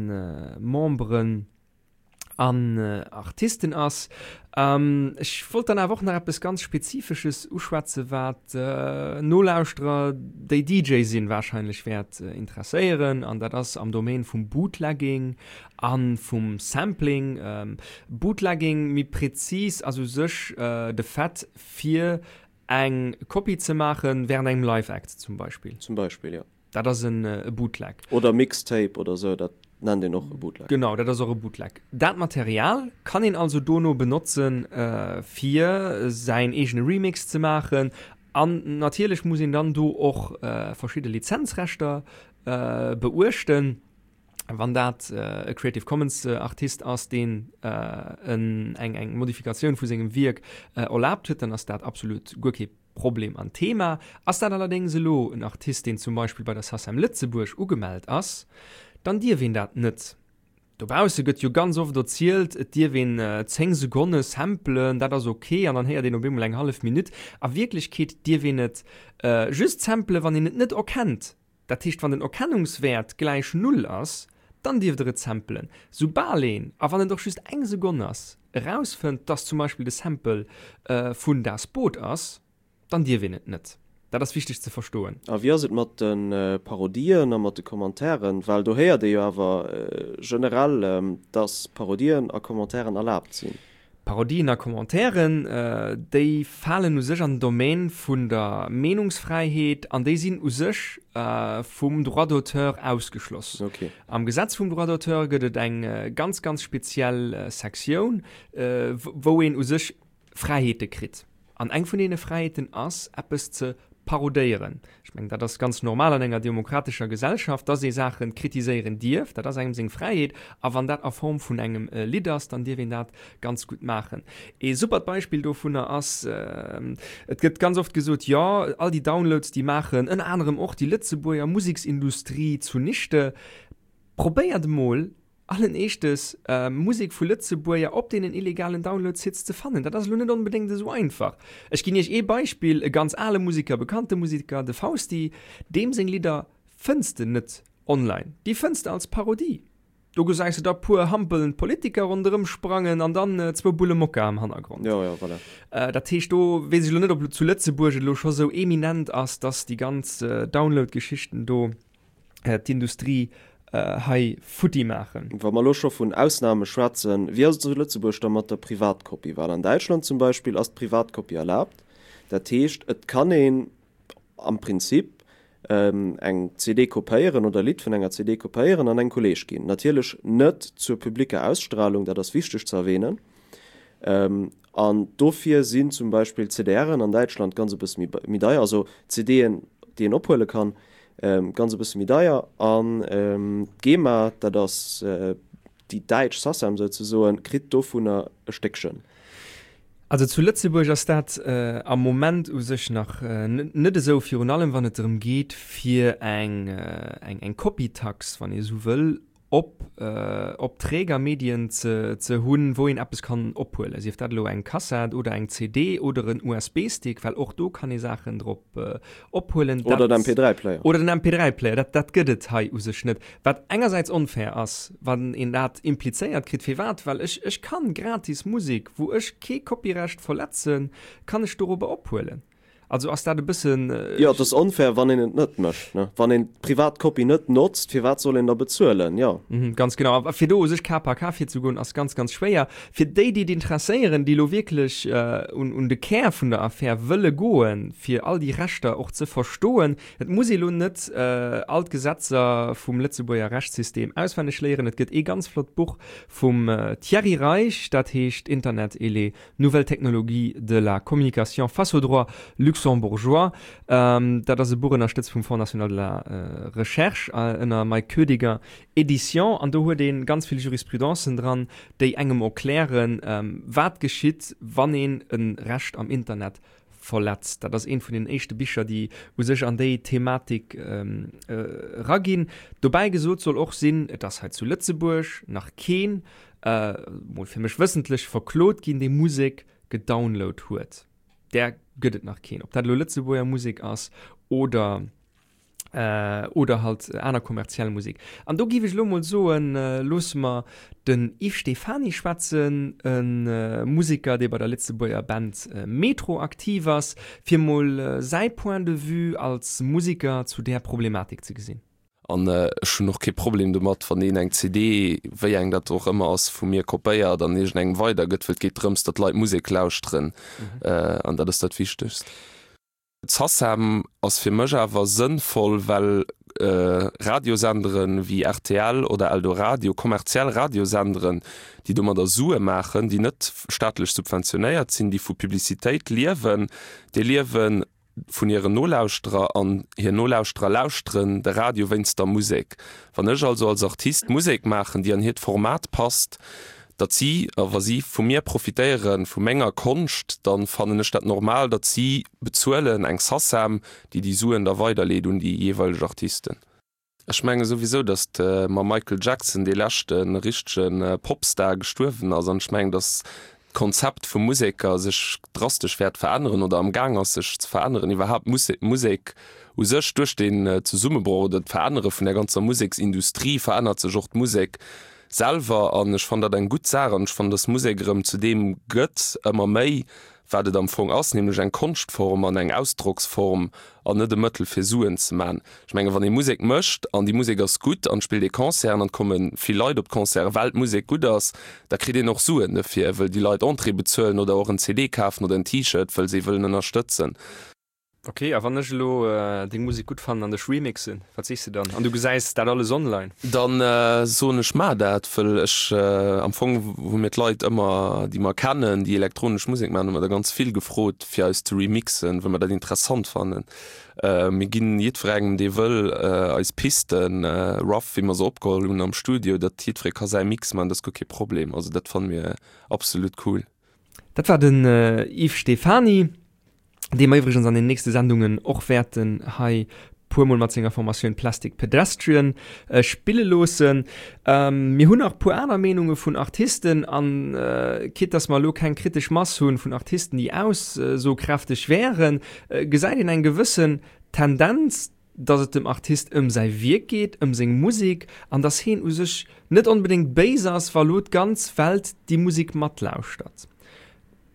Memberen an Artisten ass. Ech wollt dann awer och nach eppes ganz Spezifesches uschwätzen, wat Nolauschterer, déi D J sinn, wahrscheinlech wäert interesséieren, an dat ass am Domaine vum Bootlegging an vum Sampling. Bootlegging, méi präzis, ass u sech de Fait, fir eng Kopie ze maachen während engem Live-Act zum Beispill. Zum Beispill, ja. Dat ass en Bootleg. Oder Mixtape oder sou, dat nennt een och e Bootleg. Genau, dat ass och e Bootleg. Dat Material kann een also dono benotzen, fir säin eegene Remix ze maachen. An natierlech muss een dann do och verschidde Lizenzrechter beuechten. Wann dat e Creative Commons Artist ass, deen eng eng Modifikatioun vu sengem Wierk erlaabt huet, dann ass dat absolut guer kee Problem an Thema. Ass dat allerdéngs elo en Artist, deen zum Beispill bei der SACEM Lëtzebuerg ugemellt ass, dann dierf een dat net. Dobausse gëtt jo ganz oft erzielt, et dierf een zéng Sekonne samplen, dat ass ok, an dann héiert een op eemol eng hallef Minutt. A Wierklechkeet dierf een et just samplen, wann een et net erkennt. Dat heescht, wann den Erkennungswäert gläich Null ass, dann dierft der et samplen. Soubal een, a wann et och just eng Sekonn ass, erausfënnt, dass zum Beispill de Sample vun Das Boot ass, dann dierf een et net. Dat ass wichteg ze verstoen. A wéi ass et mat de Parodien a mat de Commentairen? Well do héiert ee jo awer generell, dass Parodien a Commentairen erlaabt sinn. Parodien a Commentairen, déi falen u sech an den Domaine vun der Meenungsfräiheet an déi sinn u sech vum Droit d'auteur ausgeschloss. Am Gesetz vum Droit d'auteur gëtt et eng ganz, ganz speziell Sektioun, wou een u sech Fräiheete kritt. An eng vun deene Fräiheeten ass, eppes ze parodéieren. Ech mengen, dat ass ganz normal an enger demokratescher Gesellschaft, dass ee Saache kritiséieren dierf. Dat ass engem seng Fräiheet. A wann dat a Form vun engem Lidd ass, dann dierf een dat ganz gutt maachen. Ee supert Beispill dovunner ass, et gëtt ganz oft gesot, jo, all déi Downloads, déi maachen ënner anerem och déi Lëtzebuerger Museksindustrie zunichte. Probéiert emol, allen Eeschtes Musek vu Lëtzebuerger op deenen illegalen Download-Sites ze fannen. Dat ass elo net onbedéngt esou einfach. Ech ginn iech ee Beispill, e ganz ale Museker, bekannte Museker, de Fausti, deem seng Lidder fënns de net online. Déi fënns de als Parodie. Do gesäis de da puer hampelnd Politiker ronderëm sprangen an dann zwou Bulle Mokka am Hannergrond. Jo, jo, voilà. Dat heescht, do weess ech elo net, ob zu Lëtzebuerg et elo scho sou eminent ass, dass déi ganz Download-Geschichten do d'Industrie hei futti maachen. Wa mer elo scho vun Ausname schwätzen, wéi ass et zu Lëtzebuerg da mat der Privatkopie? Well an Däitschland zum Beispill ass d'Privatkopie erlaabt. Dat heescht, et kann een am Prinzip eng C D kopéieren oder e Lidd vun enger C D kopéieren an engem Kolleeg ginn. Natierlech net zur publicker Ausstrahlung, dat ass wichteg ze erwähnen. An dofir sinn zum Beispill C D R'en an Däitschland ganz e bësse méi deier, also C D'en, déi een ophuele kann, ganz e bësse méi deier. An d'GEMA, dat ass déi däitsch SACEM souzesoen, kritt dovunner e Stéckchen. Also zu Lëtzebuerg ass dat am Moment u sech nach net esou, virun allem wann et drëm geet, fir eng eng Copytax, wann ee esou wëll, op op Trägermedien ze ze hunn, wou een eppes kann ophuelen, sief dat elo eng Kassett oder eng C D oder en U S B-Stick, well och do kann ee Saachen drop ophuelen. Oder den M P drei Player. Oder den M P drei Player, dat dat gëtt et hei u sech net. Wat engersäits onfair ass, wann een dat implizéiert kritt, firwat? Well ech ech kann gratis Musek, wou ech kee Copyrecht verletzen, kann ech dorobber ophuelen. Also ass dat e bëssen. Jo, et ass onfair, wann een et net mécht, ne? Wann een d'Privatkopie net notzt, firwat soll een da bezuelen? Jo. Mhm, ganz genau. A fir do u sech K par K virzegoen, ass ganz, ganz schwéier. Fir déi, déi et interesséieren, déi elo wierklech un, un de Kär vun der Affär wëlle goen, fir all déi Rechter och ze verstoen, et muss ee elo net all d'Gesetzer vum Lëtzebuerger Rechtssystem auswenneg léieren. Et gëtt ee ganz flott Buch vum Thierry Reich, dat heescht Internet et les nouvelles technologies de la communication face au droit luxembourgeois. Dat ass e Buch ënnerstëtzt vum Fonds national de la Recherche ënner Mike Koediger Édition. An do huet ee ganz vill Jurisprudencen dran, déi engem erklären, wat geschitt, wann een e Recht am Internet verletzt. Dat ass eent vun den éischte Bicher, déi u sech an déi Thematik eraginn. Dobäi gesot soll och sinn, et ass hei zu Lëtzebuerg nach keen, mol fir mech wëssentlech, verklot ginn, dee Musek gedownload huet. Där gëtt et nach keen. Ob dat elo Lëtzebuerger Musek ass oder, äh, oder halt aner kommerziell Musek. An do géif ech elo mol soen, äh, loosse mer den Yves Stephany schwätzen, en äh, Museker, dee bei der Lëtzebuerger Band äh, Metro aktiv ass, fir mol äh, säi Point de vue als Museker zu där Problematik ze gesinn. An ech hunn och kee Problem domat, wann een eng C D, wéi eng dat och ëmmer ass, vu mir kopéiert an iergendengem weidergëtt, well et geet drëms, datt d'Leit Musek lauschteren. An dat ass dat Wichtegst. D'SACEM ass fir mech awer sënnvoll, well Radiosenderen wéi R T L oder Eldoradio, kommerziell Radiosenderen, déi domadder Sue maachen, déi net staatlech subventionéiert sinn, déi vu Publicitéit liewen, déi liewen vun hiren Nolauschterer an hir Nolauschterer lauschteren de Radio wéinst der Musek. Wann ech also als Artist Musek maachen, déi an hiert Format passt, datt si, a wa si vu mir profitéieren, vu menger Konscht, dann fannen ech dat normal, datt si bezuelen, eng SACEM, déi déi Suen da weiderleet un déi jeeweileg Artisten. Ech menge souwisou, datt mam Michael Jackson dee leschte richtege Popstar gestuerwen ass an ech mengen, datt d'Konzept vum Museker sech drastesch wäert veränneren oder am Gaang ass sech ze veränneren. Iwwerhaapt Musek u sech, duerch den Zesummebroch oder d'Verännere vun der ganzer Museksindustrie verännert sech och d'Musek selwer an ech fannen dat eng gutt Saach an ech fannen, datt Musek erëm zu deem gëtt ëmmer méi, wat et am Fong ass, nämlech eng Konschtform an eng Ausdrocksform an net e Mëttel fir Suen ze man. Ech menge wann ee Musek mécht an déi Musek ass gutt an et spillt ee Concerten an et komme vill Leit op d'Concerten, well d'Musek gutt ass, da kritt een och Suen dofir, wëll déi Leit Entrée bezuelen oder och en C D kafen oder en T-Shirt, wëll se ee wëllen ënnerstëtzen. Ok, a wann ech elo deng Musek gutt fannen an dech remixen, wat sees de dann? An du gesäis dat alles online? Dann soen ech, Maach dat, wëll ech am Fong hu mir d'Leit ëmmer, déi mer kennen, déi elektronesch Musek maachen, hu mer der ganz vill gefrot, fir eis ze remixen, wëll mer dat interessant fannen. Mir ginn jiddwerengem, dee wëll, eis Pisten, rough, wéi mer se opgeholl hunn am Studio, datt jiddweree ka säi Mix maachen, dat ass guer kee Problem. Also dat fanne mir absolut cool. Dat war den Yves Stephany. Dee mer iwwregens an den nächste Sendungen och wäerten hei puer mol mat senger Formatioun Plastic Pedestrian spille loossen. Mir hunn nach puer aner Meenunge vun Artisten an quitte dass mer elo keng kritesch Mass hunn vun Artisten, déi aussokräfteg wären, gesäit een eng gewëssen Tendenz, dass et dem Artist ëm säi Wierk geet, ëm seng Musek an dass heen u sech net onbedéngt béis ass, wa lo d'ganz Welt déi Musek matlauschtert.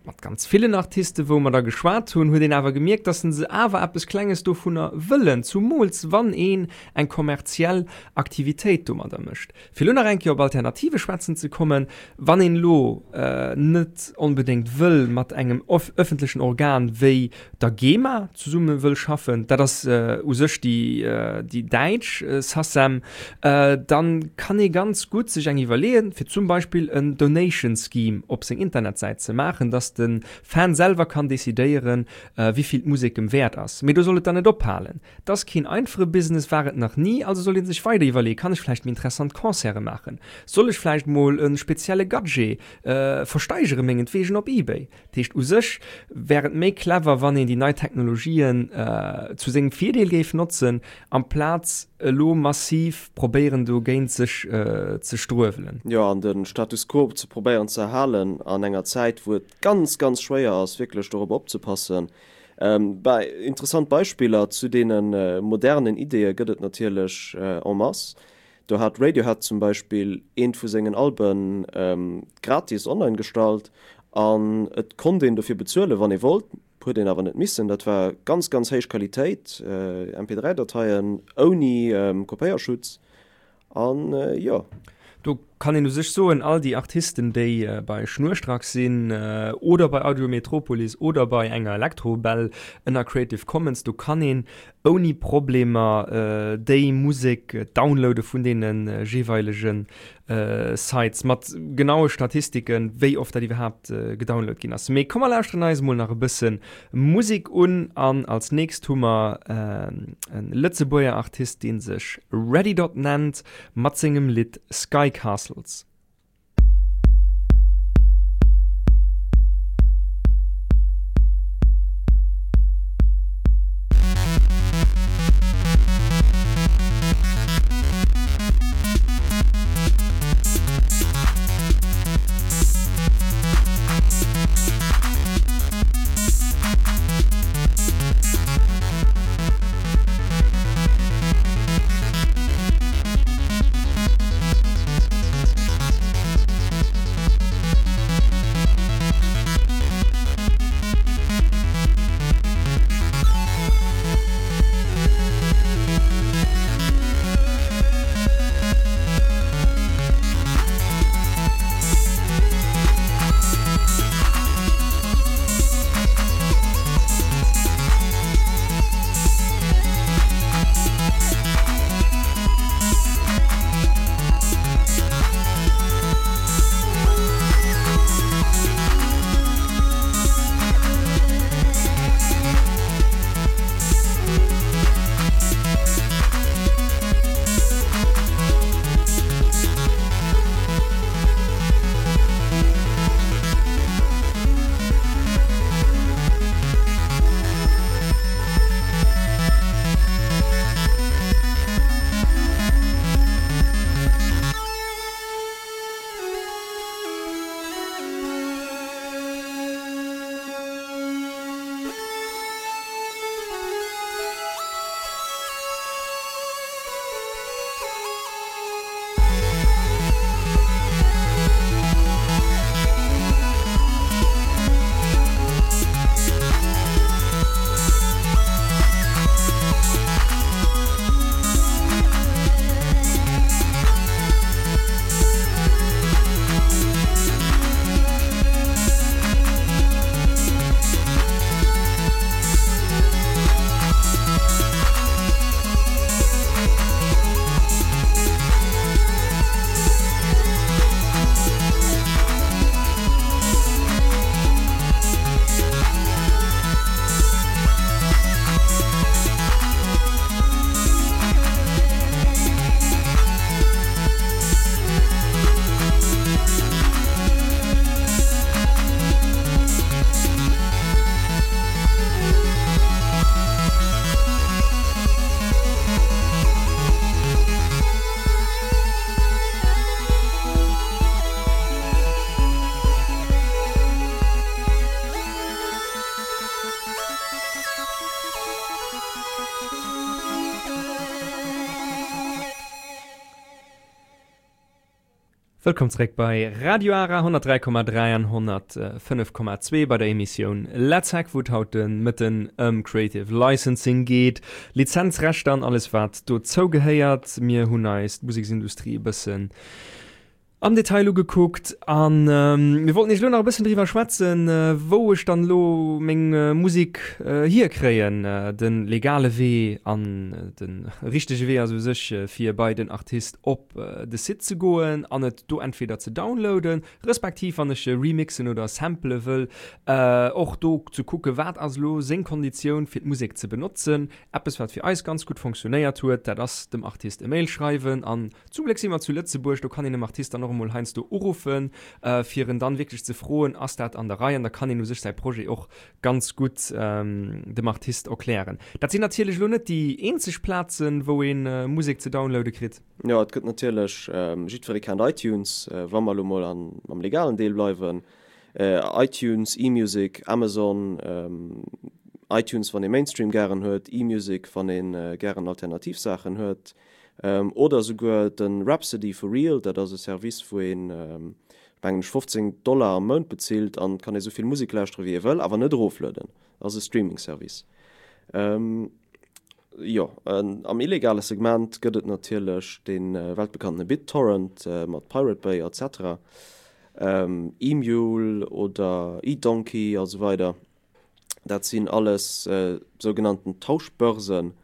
Mat ganz villen Artisten, wou mer da geschwat hunn, huet een awer gemierkt, dass se awer eppes Klenges dovunner wëllen, zumools wann een eng kommerziell Aktivitéit domadder mécht. Fir elo nach eng Kéier op Alternative schwätzen ze kommen, wann een elo net onbedéngt wëll mat engem öffentlechen Organ wéi der GEMA zesumme wëll schaffen, dat ass u sech déi, déi däitsch SACEM, dann kann ee ganz gutt sech eng iwwerleeën, fir zum Beispill en Donation Scheme op seng Internetsäit ze maachen, dass den Fan selwer kann decidéieren, wéi vill d'Musek em wäert ass. Mee do soll et dann net ophalen. Dat ass keen einfache Business, war et nach ni, also soll een sech weider iwwerleeën, kann ech vläicht méi interessant Concerte maachen? Soll ech vläicht mol e spezielle Gadget versteigere mengetwegen op eBay? Dat heescht, u sech wär et méi clever, wann een déi nei Technologien zu sengem Virdeel géif notzen, amplaz elo massiv probéieren dogéint sech ze struewelen. Jo, an de Status quo ze probéieren ze erhalen an enger Zäit, wou et ganz, ganz schwéier ass, wierklech dorop opzepassen. Bei interessant Beispiller zu deene modernen Ideeë gëtt et natierlech en masse. Do hat Radiohead zum Beispill eent vu sengen Alben gratis online gestallt an et konnt een dofir bezuelen, wann ee wollt, huet een awer net missen. Dat war ganz, ganz héich Qualitéit, M P dräi Dateien ouni Kopéierschutz an jo. Do kann een u sech soen, all déi Artisten, déi bei Schnurstracks sinn oder bei Audio Metropolis oder bei enger Elektrobell ënner Creative Commons, do kann een ouni Problemer déi Musek downloade vun deene jeeweilege Sites mat genaue Statistiken, wéi oft dat iwwerhaapt gedownload ginn ass. Mee komm mer lauschteren eis mol nach e bësse Musek un an als nächst hu mer en Lëtzebuerger Artist, dee sech Readydot nennt, mat sengem Lidd Sky Castles. We'll be right back. Wëllkomm zréck bei Radio Ara honnertdräi Komma dräi an honnertfënnef Komma zwee bei der Emissioun Let's Hack, wou et haut de Mëtten ëm Creative Licensing geet, Lizenzrechter an alles wat dozou gehéiert. Mir hunn eis d'Museksindustrie e bëssen am Detail ugekuckt an mir wollten iech elo nach e bëssen driwwer schwätzen, wou ech dann elo meng Musek hierkréien. De legale Wee an de richtege Wee ass u sech fir bei den Artist op de Site ze goen an et do entweder ze downloaden, respektiv wann ech remixen oder sampele wëll, och do ze kucke wat ass elo seng Konditioun fir d'Musek ze benotzen. Eppes wat fir eis ganz gutt fonctionnéiert huet, dat ass dem Artist e Mail schreiwen an zum Gléck si mer zu Lëtzebuerg, do kann een dem Artist dann och emol heiansdo uruffen, fir en dann wierklech ze froen, ass dat an der Rei? An da kann een u sech säi Projet och ganz gutt dem Artist erklären. Dat sinn natierlech elo net déi eenzeg Plazen, wou ee Musek ze downloade kritt. Jo, et gëtt natierlech, jiddweree kennt iTunes, wa mer elo mol am legalen Deel bleiwen, iTunes, eMusic, Amazon, iTunes wann ee Mainstream gären huet, eMusic wann ee gären alternativ Saachen huet, oder esouguer de Rhapsody for Real, dat ass e Service wou een, mengen ech, fofzéng Dollar am Mount bezilt an kann ee souvill Musek lauschtere wéi ee wëll, awer net eroflueden. Ass e Streaming Service. Jo, am illegale Segment gëtt et natierlech dee weltbekanntene BitTorrent mat Pirate Bay et cetera, eMule oder eDonkey a sou weider. Dat sinn alles sougenannten Tauschbörsen,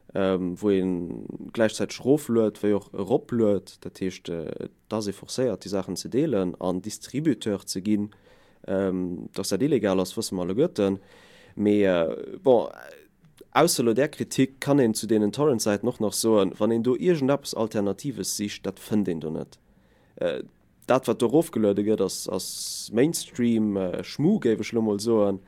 wou ee gläichzäiteg erofluet wéi och eropluet. Dat heescht, et ass ee forcéiert, déi Saachen ze deelen an Distributeur ze ginn. Dass dat illegal ass, wësse mer alleguerten. Mee bon, ausser elo där Kritik kann een zu deenen Torrent-Säiten och nach soen, wann een do iergendeppes Alternatives sicht, dat fënnt een do net. Dat wat do erofgeluede gëtt, ass ass Mainstream-Schmu, géif ech elo mol soen.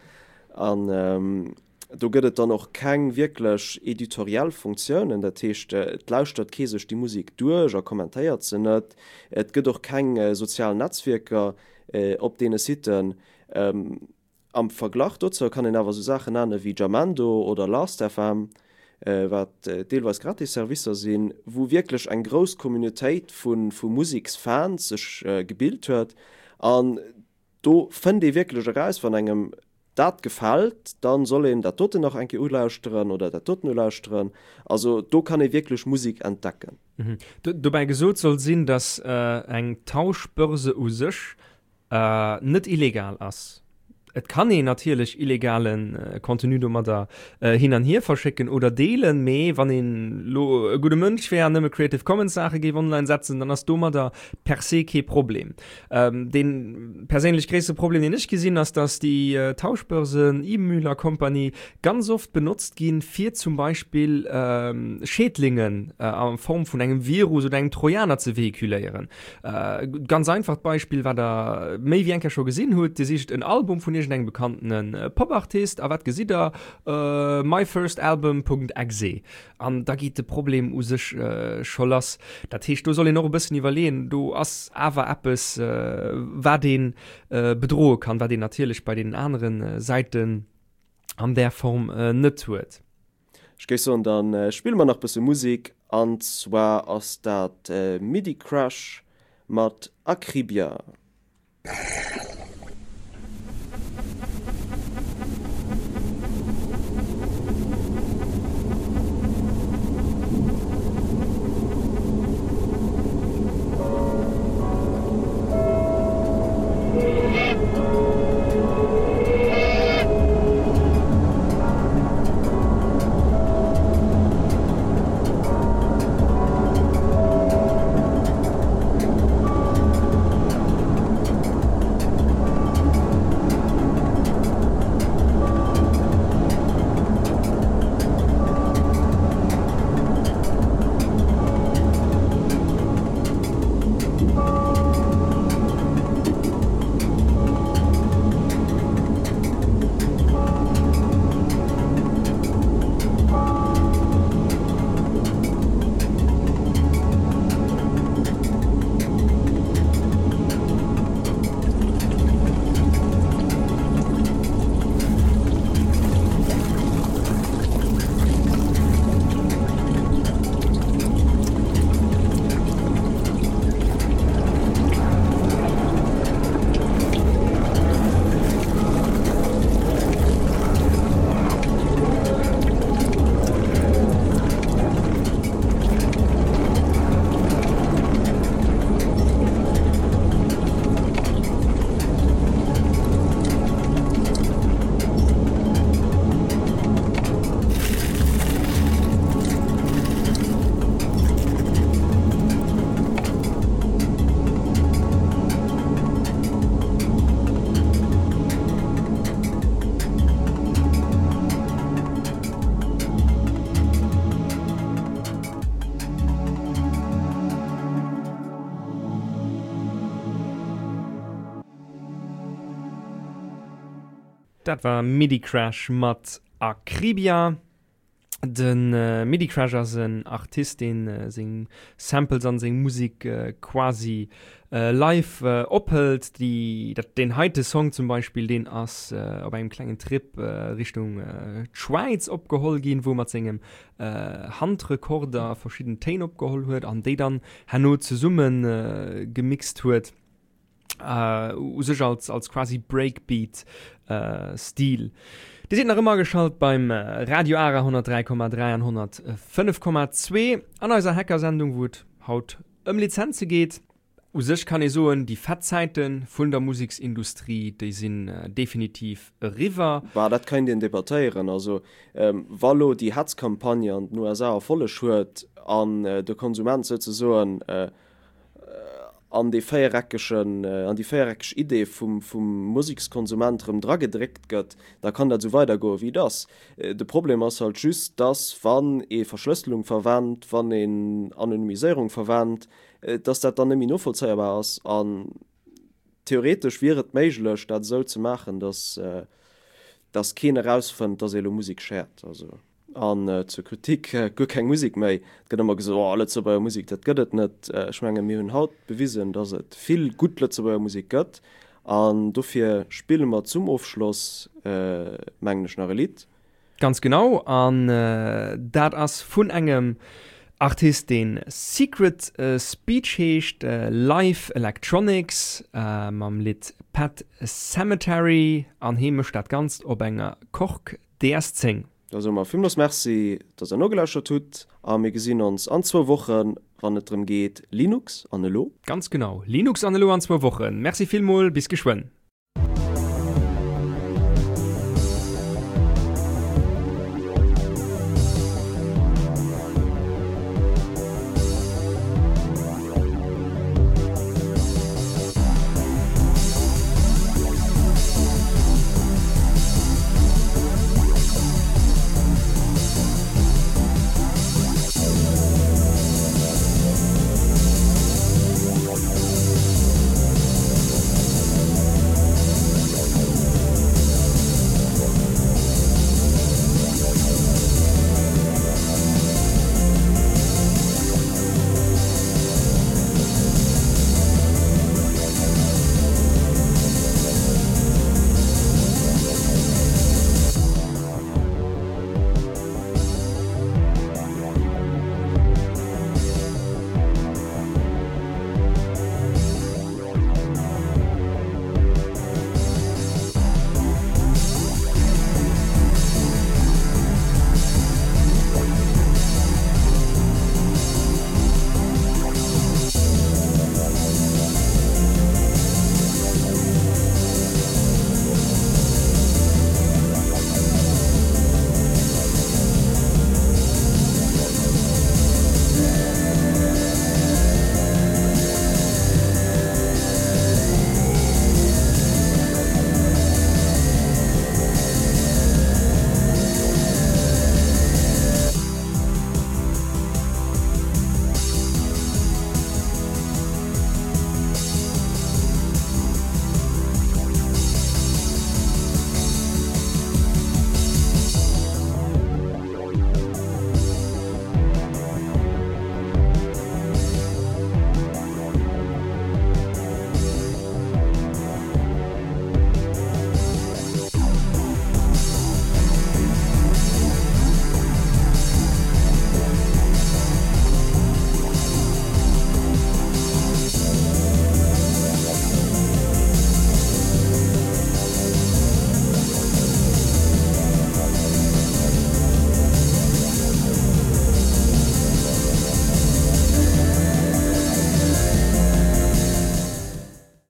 An do gëtt et dann och keng wierklech editoriell Funktiounen, dat heescht, et lauschtert kee sech déi Musek duerch a kommentéiert se net. Et gëtt och keng sozial Netzwierker op deene Siten. Am Verglach dozou kann een awer esou Saachen nenne wéi Jamendo oder Last F M, wat deelweis gratis Servicer sinn, wou wierklech eng grouss Communautéit vu vu Museksfans sech gebilt huet. An do fënnt ee wierklech eraus, wann engem dat gefält, da soll een dat doten nach eng Kéier ulauschteren oder dat doten ulauschteren. Also do kann ee wierklech Musek entdecken. Dobäi gesot soll sinn, dass eng Tauschbörse u sech net illegal ass. Et kann een natierlech illegale Contenu domadder hin an hier verschécken oder deelen, mee wann een lo e gudde Mënsch wär an nëmme Creative Commons Saache géif online setzen, dann ass domadder per se kee Problem. Dee perséinlech gréisste Problem, deen ech gesinn, ass, dass déi Tauschbörsen, eMule a Company, ganz oft benotzt ginn, fir zum Beispill Schädlingen a Form vun engem Virus oder engem Trojaner ze vehiculéieren. Ganz einfacht Beispill, wat der méi wéi eng Kéier scho gesinn hutt, Dir sicht en Album vun iergendengem bekanntene Popartist a wat gesitt der? myfirstalbum Punkt exe. An da geet de Problem u sech scho lass. Dat heescht, do soll een och e bëssen iwwerleeën, do ass awer eppes, wat ee bedroe kann, wat een natierlech bei deenen anere Säiten an där Form net huet. Ech géif soen, da spille mer nach bësse Musek, an zwar ass dat Midi Crash mat Akribia. Dat war Midicrash mat Akribia. De Midicrash ass en Artist, deen seng Samples an seng Musek quasi live ophëlt. Déi, dat, deen heite Song zum Beispill, deen ass op engem klengen Trip Richtung d'Schwäiz opgeholl ginn, wou e mat sengem Handrekorder verschidden Téin opgeholl huet an déi dann herno zesumme gemixt huet. U sech als, als quasi Breakbeat Stil. Dir sidd nach ëmmer ageschalt beim Radio Ara honnertdräi Komma dräi an honnertfënnef Komma zwee an eiser Hackersendung, wou et haut ëm Lizenze geet. U sech kann ee soen, déi fett Zäite vun der Museksindustrie, déi sinn definitiv eriwwer. Bah, dat kéint een debattéieren. Also, wa lo déi Hetzcampagne an den U S A Erfolleg huet an de Konsument souzesoen an dee véiereckegen, an déi véiereckeg Idee vum, vum Musekskonsument erëm dragedréckt gëtt, da kann dat esou weidergoen, wéi et ass. De Problem ass halt just, dass, wann ee Verschlësselung verwennt, wann een Anonymiséierung verwennt, dass dat dann net méi novollzéierbar ass. An theoretesch wier et méiglech, dat esou ze maachen, dass, dass keen erausfënnt, dass ee elo Musek shared. Also. An zur Kritik, guer keng Musek méi. Et gëtt ëmmer gesot, oh, Lëtzebuerger Musek, dat gëtt et net. Ech menge mir hunn haut bewisen, datt et vill gutt Lëtzebuerger Musek gëtt. An dofir spille mer zum Ofschloss, mengen ech, nach e Lidd. Ganz genau. An dat ass vun engem Artist, deen Secret Speech heescht, Live Electronics, mam Lidd Pet Sematary. An hee mécht dat Ganzt op enger Korg D S zéng. Da soe mer villmools Merci, dass der nogelauschtert hutt a mir gesinn ons an zwou Wochen, wann et drëm geet, Linux an elo. Ganz genau, Linux an elo an zwou Wochen. Merci villmol, bis geschwënn.